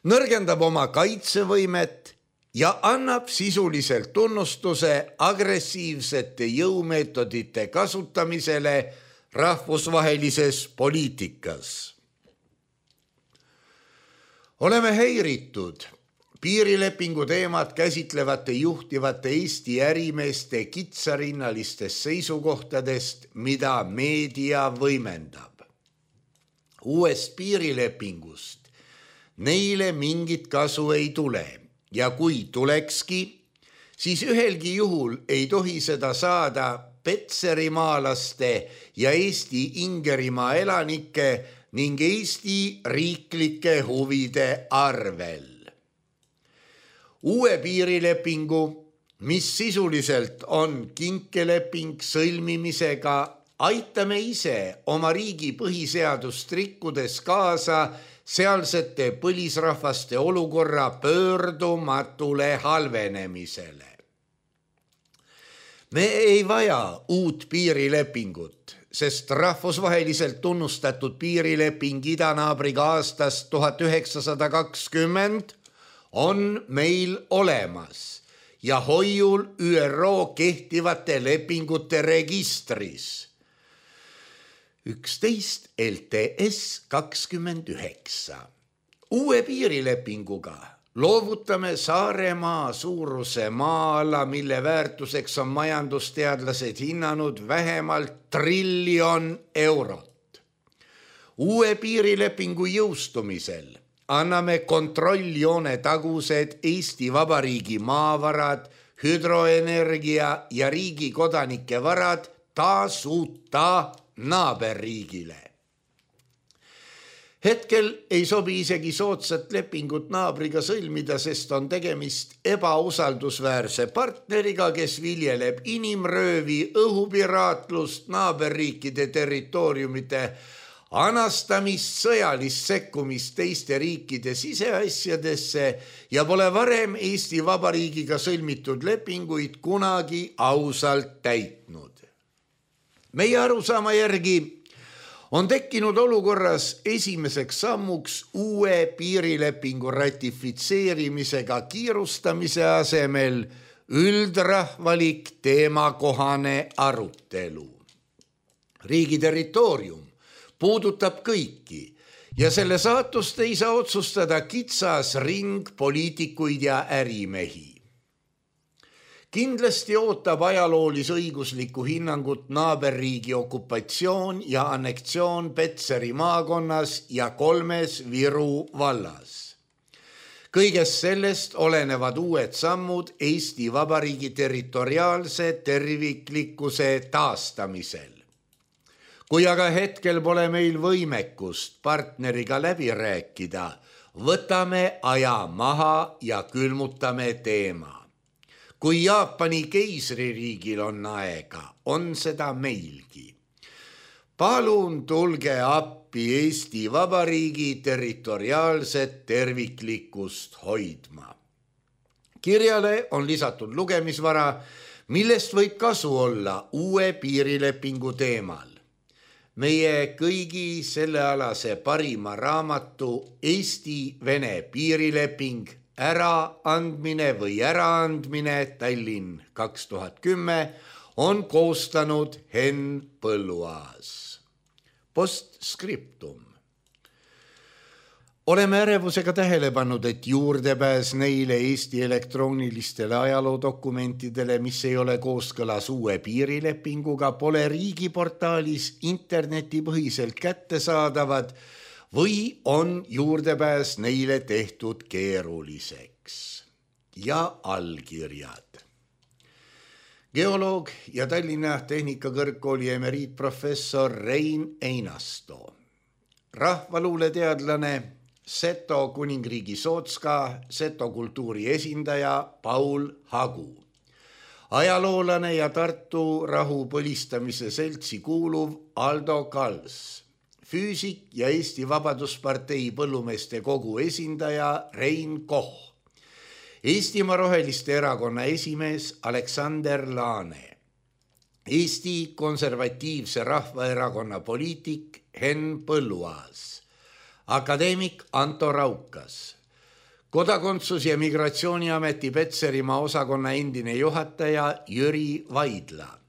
nõrgendab oma kaitsevõimet ja annab sisuliselt tunnustuse agressiivsete jõumeetodite kasutamisele rahvusvahelises poliitikas. Oleme häiritud piirilepingu teemat käsitlevate juhtivate Eesti ärimeeste kitsarinnalistest seisukohtadest, mida meedia võimendab. Uuest piirilepingust neile mingit kasu ei tule ja kui tulekski, siis ühelgi juhul ei tohi seda saada Petserimaalaste ja Eesti Ingerimaa elanike ning Eesti riiklike huvide arvel. Uue piirilepingu, mis sisuliselt on kinkeleping sõlmimisega, aitame ise oma riigi põhiseadust rikkudes kaasa sealsete põlisrahvaste olukorra pöördumatule halvenemisele. Me ei vaja uut piirilepingut, sest rahvusvaheliselt tunnustatud piirileping idanaabriga aastast tuhat üheksasada kakskümmend on meil olemas ja hoiul Ü R O kehtivate lepingute registris üksteist L T S kakskümmend üheksa. Uue piirilepinguga loovutame Saaremaa suuruse maa-ala, mille väärtuseks on majandusteadlased hinnanud vähemalt triljon eurot. Uue piirilepingu jõustumisel anname kontrolljoone tagused Eesti Vabariigi maavarad, hüdroenergia ja riigi kodanike varad tasuta naaberriigile. Hetkel ei sobi isegi soodsat lepingut naabriga sõlmida, sest on tegemist ebausaldusväärse partneriga, kes viljeleb inimröövi, õhupiraatlust, naaberriikide territooriumide anastamist, sõjalist sekkumist teiste riikide siseasjadesse ja pole varem Eesti Vabariigiga sõlmitud lepinguid kunagi ausalt täitnud. Meie arusaama järgi on tekkinud olukorras esimeseks sammuks uue piirilepingu ratifitseerimisega kiirustamise asemel üldrahvalik teemakohane arutelu. Riigi territoorium puudutab kõiki ja selle saatust ei saa otsustada kitsas ring poliitikuid ja ärimehi. Kindlasti ootab ajaloolis-õiguslikku hinnangut naaberriigi okupatsioon ja anneksioon Petseri maakonnas ja kolmes Viru vallas. Kõigest sellest olenevad uued sammud Eesti Vabariigi territoriaalse terviklikkuse taastamisel. Kui aga hetkel pole meil võimekust partneriga läbi rääkida, võtame aja maha ja külmutame teema. Kui Jaapani keisririigil on aega, on seda meilgi. Palun tulge appi Eesti Vabariigi territoriaalset terviklikkust hoidma. Kirjale on lisatud lugemisvara, millest võib kasu olla uue piirilepingu teemal. Meie kõigi sellealase parima raamatu Eesti-Vene piirileping äraandmine või äraandmine Tallinn kaks tuhat kümme on koostanud Henn Põlluaas. Postscriptum. Oleme ärevusega tähele pannud, et juurdepääs neile Eesti elektroonilistele ajaloodokumentidele, mis ei ole kooskõlas uue piirilepinguga, pole riigiportaalis internetipõhiselt kättesaadavad või on juurdepääs neile tehtud keeruliseks. Ja allkirjad. Geoloog ja Tallinna Tehnikakõrgkooli emeriitprofessor Rein Einasto. Rahvaluuleteadlane, Seto kuningriigi Sootska, Seto kultuuri esindaja Paul Hagu. Ajaloolane ja Tartu rahu põlistamise seltsi kuuluv Aldo Kals. Füüsik ja Eesti Vabaduspartei põllumeeste kogu esindaja Rein Koch. Eestimaa Roheliste erakonna esimees Aleksander Laane. Eesti Konservatiivse Rahvaerakonna poliitik Henn Põlluaas. Akadeemik Anto Raukas. Kodakondsus- ja Migratsiooniameti Petserimaa osakonna endine juhataja Jüri Vaidla.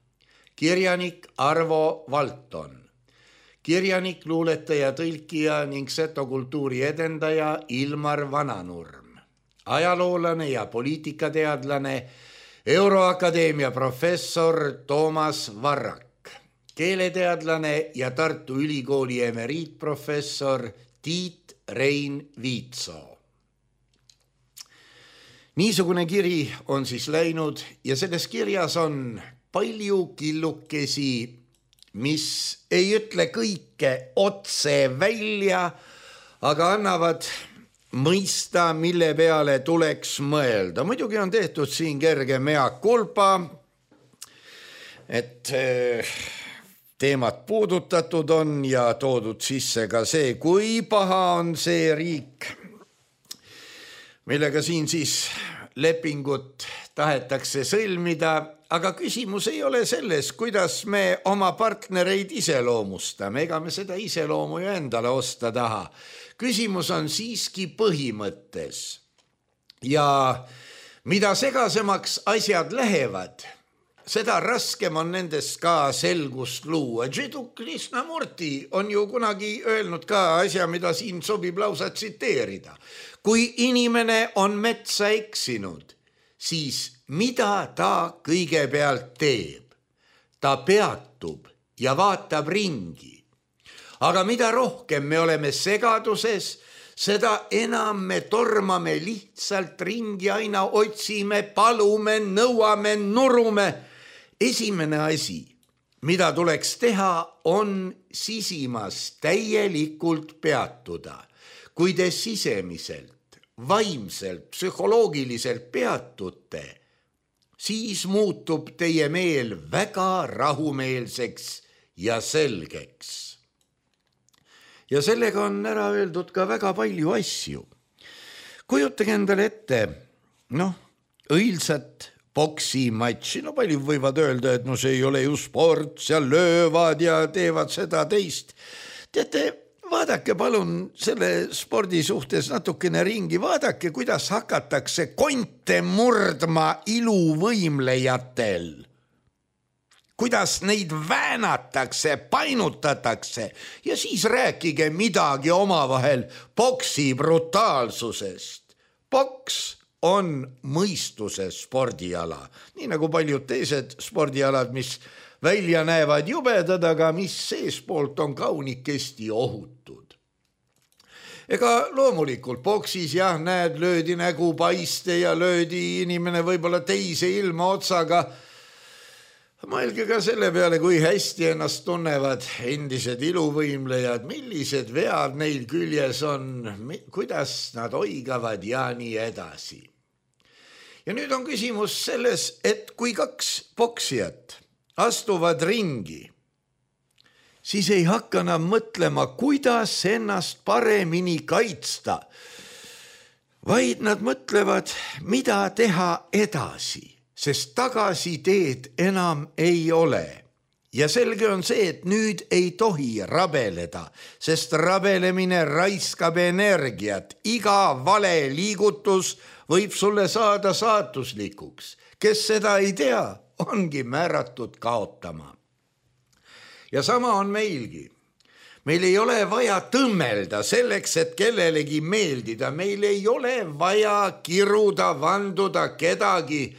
Kirjanik Arvo Valton. Kirjanik, luuletaja, tõlkija ning Seto kultuuri edendaja Ilmar Vananurm. Ajaloolane ja poliitikateadlane, Euroakadeemia professor Toomas Varrak. Keeleteadlane ja Tartu Ülikooli emeriitprofessor Tiit Rein Viitsoo. Niisugune kiri on siis läinud ja selles kirjas on palju killukesi, mis ei ütle kõike otse välja, aga annavad mõista, mille peale tuleks mõelda. Muidugi on tehtud siin kerge mea culpa, et teemat puudutatud on ja toodud sisse ka see, kui paha on see riik, millega siin siis lepingut tahetakse sõlmida, aga küsimus ei ole selles, kuidas me oma partnereid iseloomustame, ega me seda iseloomu ju endale osta taha. Küsimus on siiski põhimõttes ja mida segasemaks asjad lähevad, seda raskem on nendest ka selgust luua. Jiddu Krishnamurti on ju kunagi öelnud ka asja, mida siin sobib lausa tsiteerida. Kui inimene on metsa eksinud, siis mida ta kõigepealt teeb? Ta peatub ja vaatab ringi. Aga mida rohkem me oleme segaduses, seda enam me tormame lihtsalt ringi, aina otsime, palume, nõuame, nurume. Esimene asi, mida tuleks teha, on sisimas täielikult peatuda. Kui te sisemiselt, vaimselt, psühholoogiliselt peatute, siis muutub teie meel väga rahumeelseks ja selgeks. Ja sellega on ära öeldud ka väga palju asju. Kujutage endale ette, noh, õilsat poksimatši, no palju võivad öelda, et no see ei ole ju sport, seal löövad ja teevad seda teist. Teate, vaadake palun selle spordi suhtes natukene ringi, vaadake, kuidas hakatakse konte murdma iluvõimlejatel. Kuidas neid väänatakse, painutatakse ja siis rääkige midagi omavahel boksi brutaalsusest. Boks on mõistuse spordiala, nii nagu paljud teised spordialad, mis välja näevad jubedad, aga mis seespoolt on kaunikesti ohutud. Ega loomulikult boksis jah, näed, löödi nägu paiste ja löödi inimene võib-olla teise ilma otsaga. Mõelge ka selle peale, kui hästi ennast tunnevad endised iluvõimlejad, millised vead neil küljes on, kuidas nad oigavad ja nii edasi. Ja nüüd on küsimus selles, et kui kaks boksijat astuvad ringi, siis ei hakka nad mõtlema, kuidas ennast paremini kaitsta, vaid nad mõtlevad, mida teha edasi. Sest tagasiteed enam ei ole. Ja selge on see, et nüüd ei tohi rabeleda, sest rabelemine raiskab energiat. Iga vale liigutus võib sulle saada saatuslikuks. Kes seda ei tea, ongi määratud kaotama. Ja sama on meilgi. Meil ei ole vaja tõmmelda selleks, et kellelegi meeldida. Meil ei ole vaja kiruda, vanduda kedagi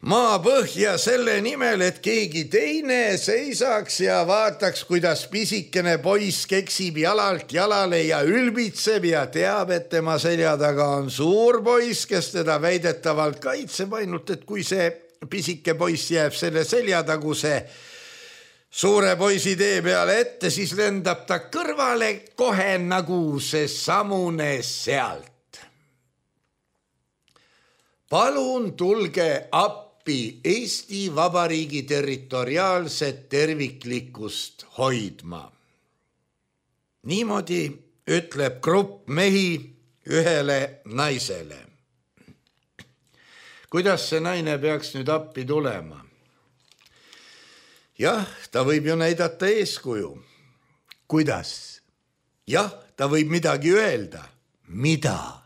maa põhja selle nimel, et keegi teine seisaks ja vaataks, kuidas pisikene poiss keksib jalalt jalale ja ülbitseb ja teab, et tema selja taga on suur poiss, kes teda väidetavalt kaitseb, ainult et kui see pisike poiss jääb selle seljataguse suure poisi tee peale ette, siis lendab ta kõrvale kohe nagu see samune sealt. Palun tulge appi Eesti Vabariigi territoriaalset terviklikkust hoidma. Niimoodi ütleb grupp mehi ühele naisele. Kuidas see naine peaks nüüd appi tulema? Jah, ta võib ju näidata eeskuju. Kuidas? Jah, ta võib midagi öelda. Mida?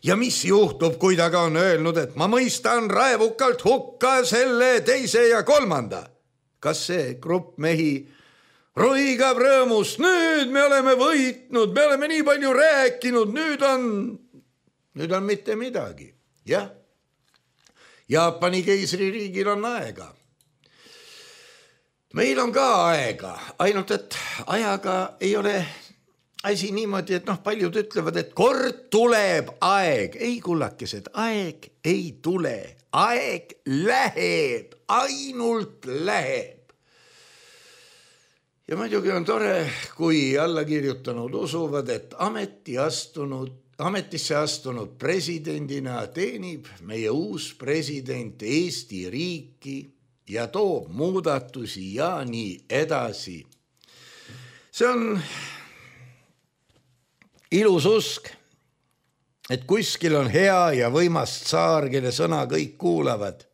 Ja mis juhtub, kui ta ka on öelnud, et ma mõistan raevukalt hukka selle teise ja kolmanda? Kas see grupp mehi roigab rõõmust? Nüüd me oleme võitnud, me oleme nii palju rääkinud, nüüd on, nüüd on mitte midagi. Jah, Jaapani keisririigil on aega. Meil on ka aega, ainult et ajaga ei ole asi niimoodi, et noh, paljud ütlevad, et kord tuleb aeg. Ei, kullakesed, aeg ei tule. Aeg läheb, ainult läheb. Ja muidugi on tore, kui alla kirjutanud usuvad, et ameti astunud, ametisse astunud presidendina teenib meie uus president Eesti riiki ja toob muudatusi ja nii edasi. See on ilus usk, et kuskil on hea ja võimas tsaar, kelle sõna kõik kuulavad.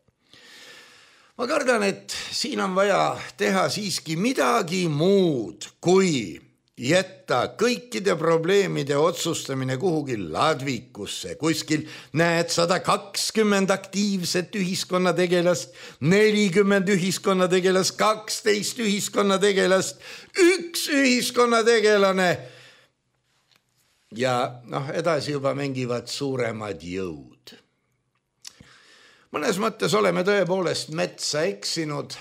Ma kardan, et siin on vaja teha siiski midagi muud, kui jätta kõikide probleemide otsustamine kuhugi ladvikusse. Kuskil näed sada kakskümmend aktiivset ühiskonnategelast, nelikümmend ühiskonnategelast, kaksteist ühiskonnategelast, üks ühiskonnategelane. Ja noh, edasi juba mängivad suuremad jõud. Mõnes mõttes oleme tõepoolest metsa eksinud,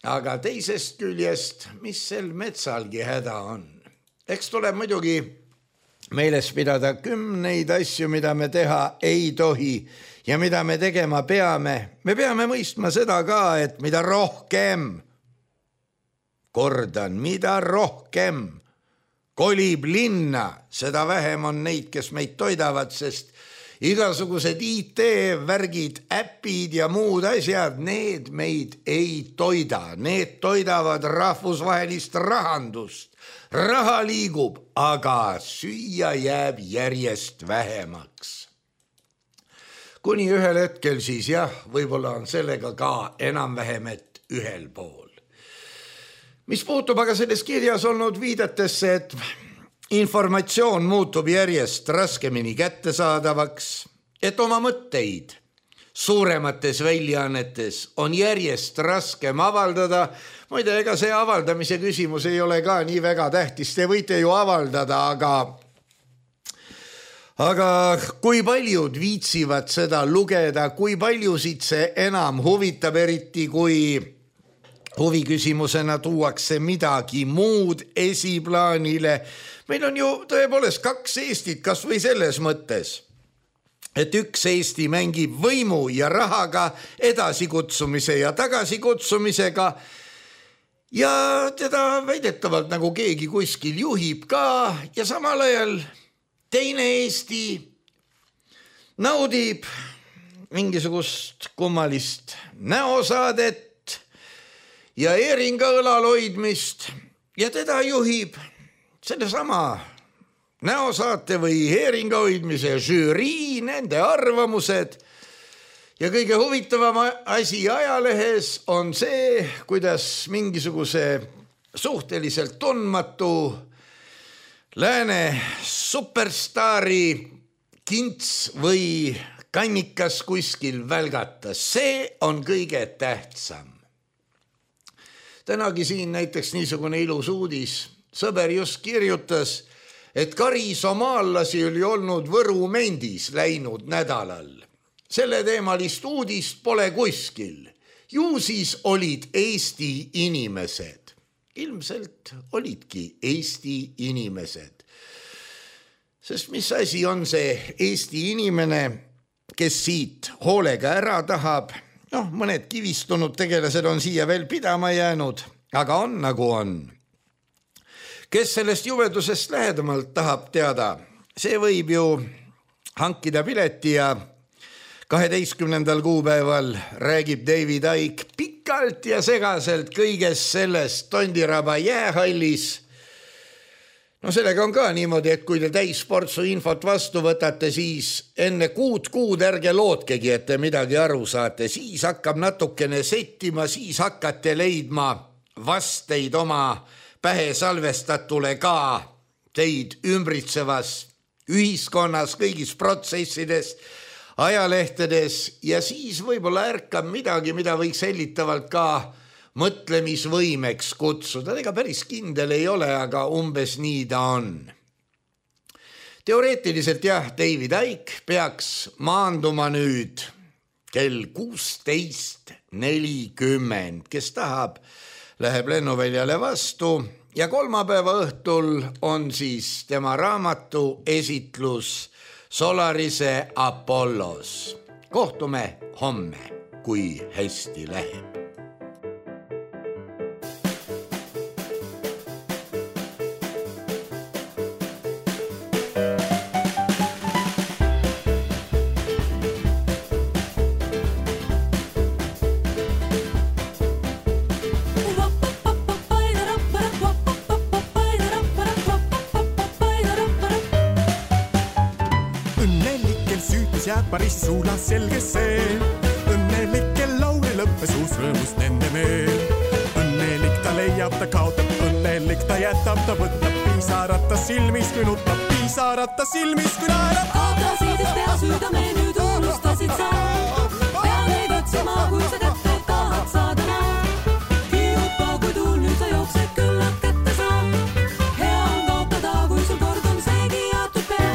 aga teisest küljest, mis sel metsalgi häda on? Eks tuleb muidugi meeles pidada kümneid asju, mida me teha ei tohi ja mida me tegema peame. Me peame mõistma seda ka, et mida rohkem, kordan, mida rohkem kolib linna, seda vähem on neid, kes meid toidavad, sest igasugused I T-värgid, äpid ja muud asjad, need meid ei toida. Need toidavad rahvusvahelist rahandust. Raha liigub, aga süüa jääb järjest vähemaks. Kuni ühel hetkel siis jah, võib-olla on sellega ka enam-vähem, et ühel pool. Mis puutub aga selles kirjas olnud viidetesse, et informatsioon muutub järjest raskemini kättesaadavaks, et oma mõtteid suuremates väljaannetes on järjest raskem avaldada. Muide, ega see avaldamise küsimus ei ole ka nii väga tähtis. Te võite ju avaldada, aga, aga kui paljud viitsivad seda lugeda, kui paljusid see enam huvitab, eriti kui huviküsimusena tuuakse midagi muud esiplaanile. Meil on ju tõepoolest kaks Eestit, kas või selles mõttes, et üks Eesti mängib võimu ja rahaga, edasikutsumise ja tagasikutsumisega ja teda väidetavalt nagu keegi kuskil juhib ka ja samal ajal teine Eesti naudib mingisugust kummalist näosaadet ja eeringa õlal hoidmist ja teda juhib selle sama näosaate või heeringa hoidmise žüürii, nende arvamused ja kõige huvitavam asi ajalehes on see, kuidas mingisuguse suhteliselt tundmatu lääne superstaari kints või kannikas kuskil välgatas. See on kõige tähtsam. Tänagi siin näiteks niisugune ilus uudis. Sõber just kirjutas, et kari somaallasi oli olnud Võru Mendis läinud nädalal. Selle teemalist uudist pole kuskil. Ju siis olid Eesti inimesed. Ilmselt olidki Eesti inimesed. Sest mis asi on see Eesti inimene, kes siit hoolega ära tahab? Noh, mõned kivistunud tegelased on siia veel pidama jäänud, aga on nagu on. Kes sellest juvedusest lähedamalt tahab teada, see võib ju hankida pileti ja kaheteistkümnendal kuupäeval räägib David Icke pikalt ja segaselt kõigest sellest Tondiraba jäähallis. No sellega on ka niimoodi, et kui te täisportsu infot vastu võtate, siis enne kuud kuud ärge lootkegi, et te midagi aru saate. Siis hakkab natukene settima, siis hakkate leidma vasteid oma pähe salvestatule ka teid ümbritsevas ühiskonnas, kõigis protsessides, ajalehtedes ja siis võib-olla ärkab midagi, mida võiks hellitavalt ka mõtlemisvõimeks kutsuda. Ega päris kindel ei ole, aga umbes nii ta on. Teoreetiliselt jah, David Icke peaks maanduma nüüd kell kuusteist nelikümmend. Kes tahab, läheb lennuväljale vastu ja kolmapäeva õhtul on siis tema raamatu esitlus Solarise Apollos. Kohtume homme, kui hästi läheb. Jääb Pariisi suulas selge see, õnnelikel lauli lõppes uus rõõmust nende meel. Õnnelik ta leiab, ta kaotab, õnnelik ta jätab, ta võtab piisarata silmis, kui nutab piisarata silmis, kui naerab. Kaotasid pea süüdame, nüüd unustasid sa. Pea neid otsima, kui sa kätte tahad saada naa. Kiupa, kui tuul nüüd sa jooksed, küllap kätte saa. Hea on kaotada, kui sul kord on seegi jaotud pea.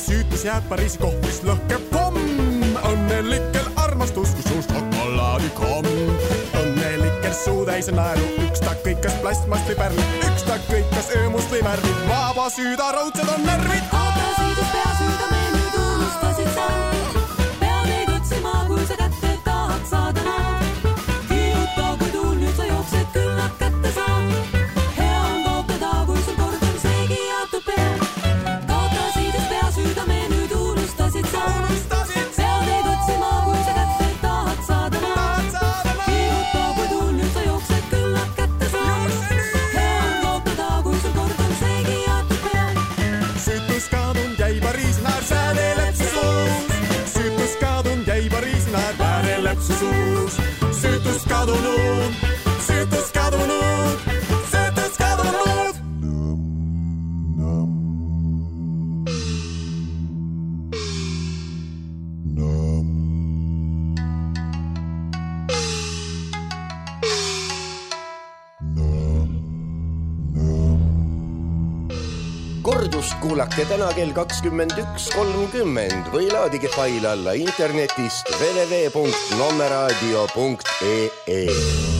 Süütus jääb Pariisi kohvis lõhkeb pomm. Õnnelikel armastus, kui suust šokolaadi komm. Õnnelikel suutäis on naeru, üks ta kõikas plastmast või pärlid, üks ta kõikas öömust või märvid. Vaba süüda raudsed on närvid. Kaotasid pea süüdame, nüüd unustasid sa. Pea neid otsima, kui sa kätte tahad saada naa. Kiuta, kui tuul nüüd sa jooksed, küllap kätte saa. Hea on kaotada, kui sul kord on seegi jaotud pea. Süüdame, nüüd unustasid sa. Pea neid otsima, kui sa kätte tahad saada naa. Kiuta, kui tuul nüüd sa jooksed, küllap kätte saa. Hea on kaotada, kui sul kord on seegi jaotud pea. Süütus kadunud jäi Pariisi naer sääde lepsu suus. Süütus kadunud jäi Pariisi naer sääde lepsu suus. Süütus kadunud, süütus kadunud, süütus kadunud. Kordust kuulake täna kell kakskümmend üks kolmkümmend või laadige fail alla internetist w w w punkt nommeraadio punkt e e.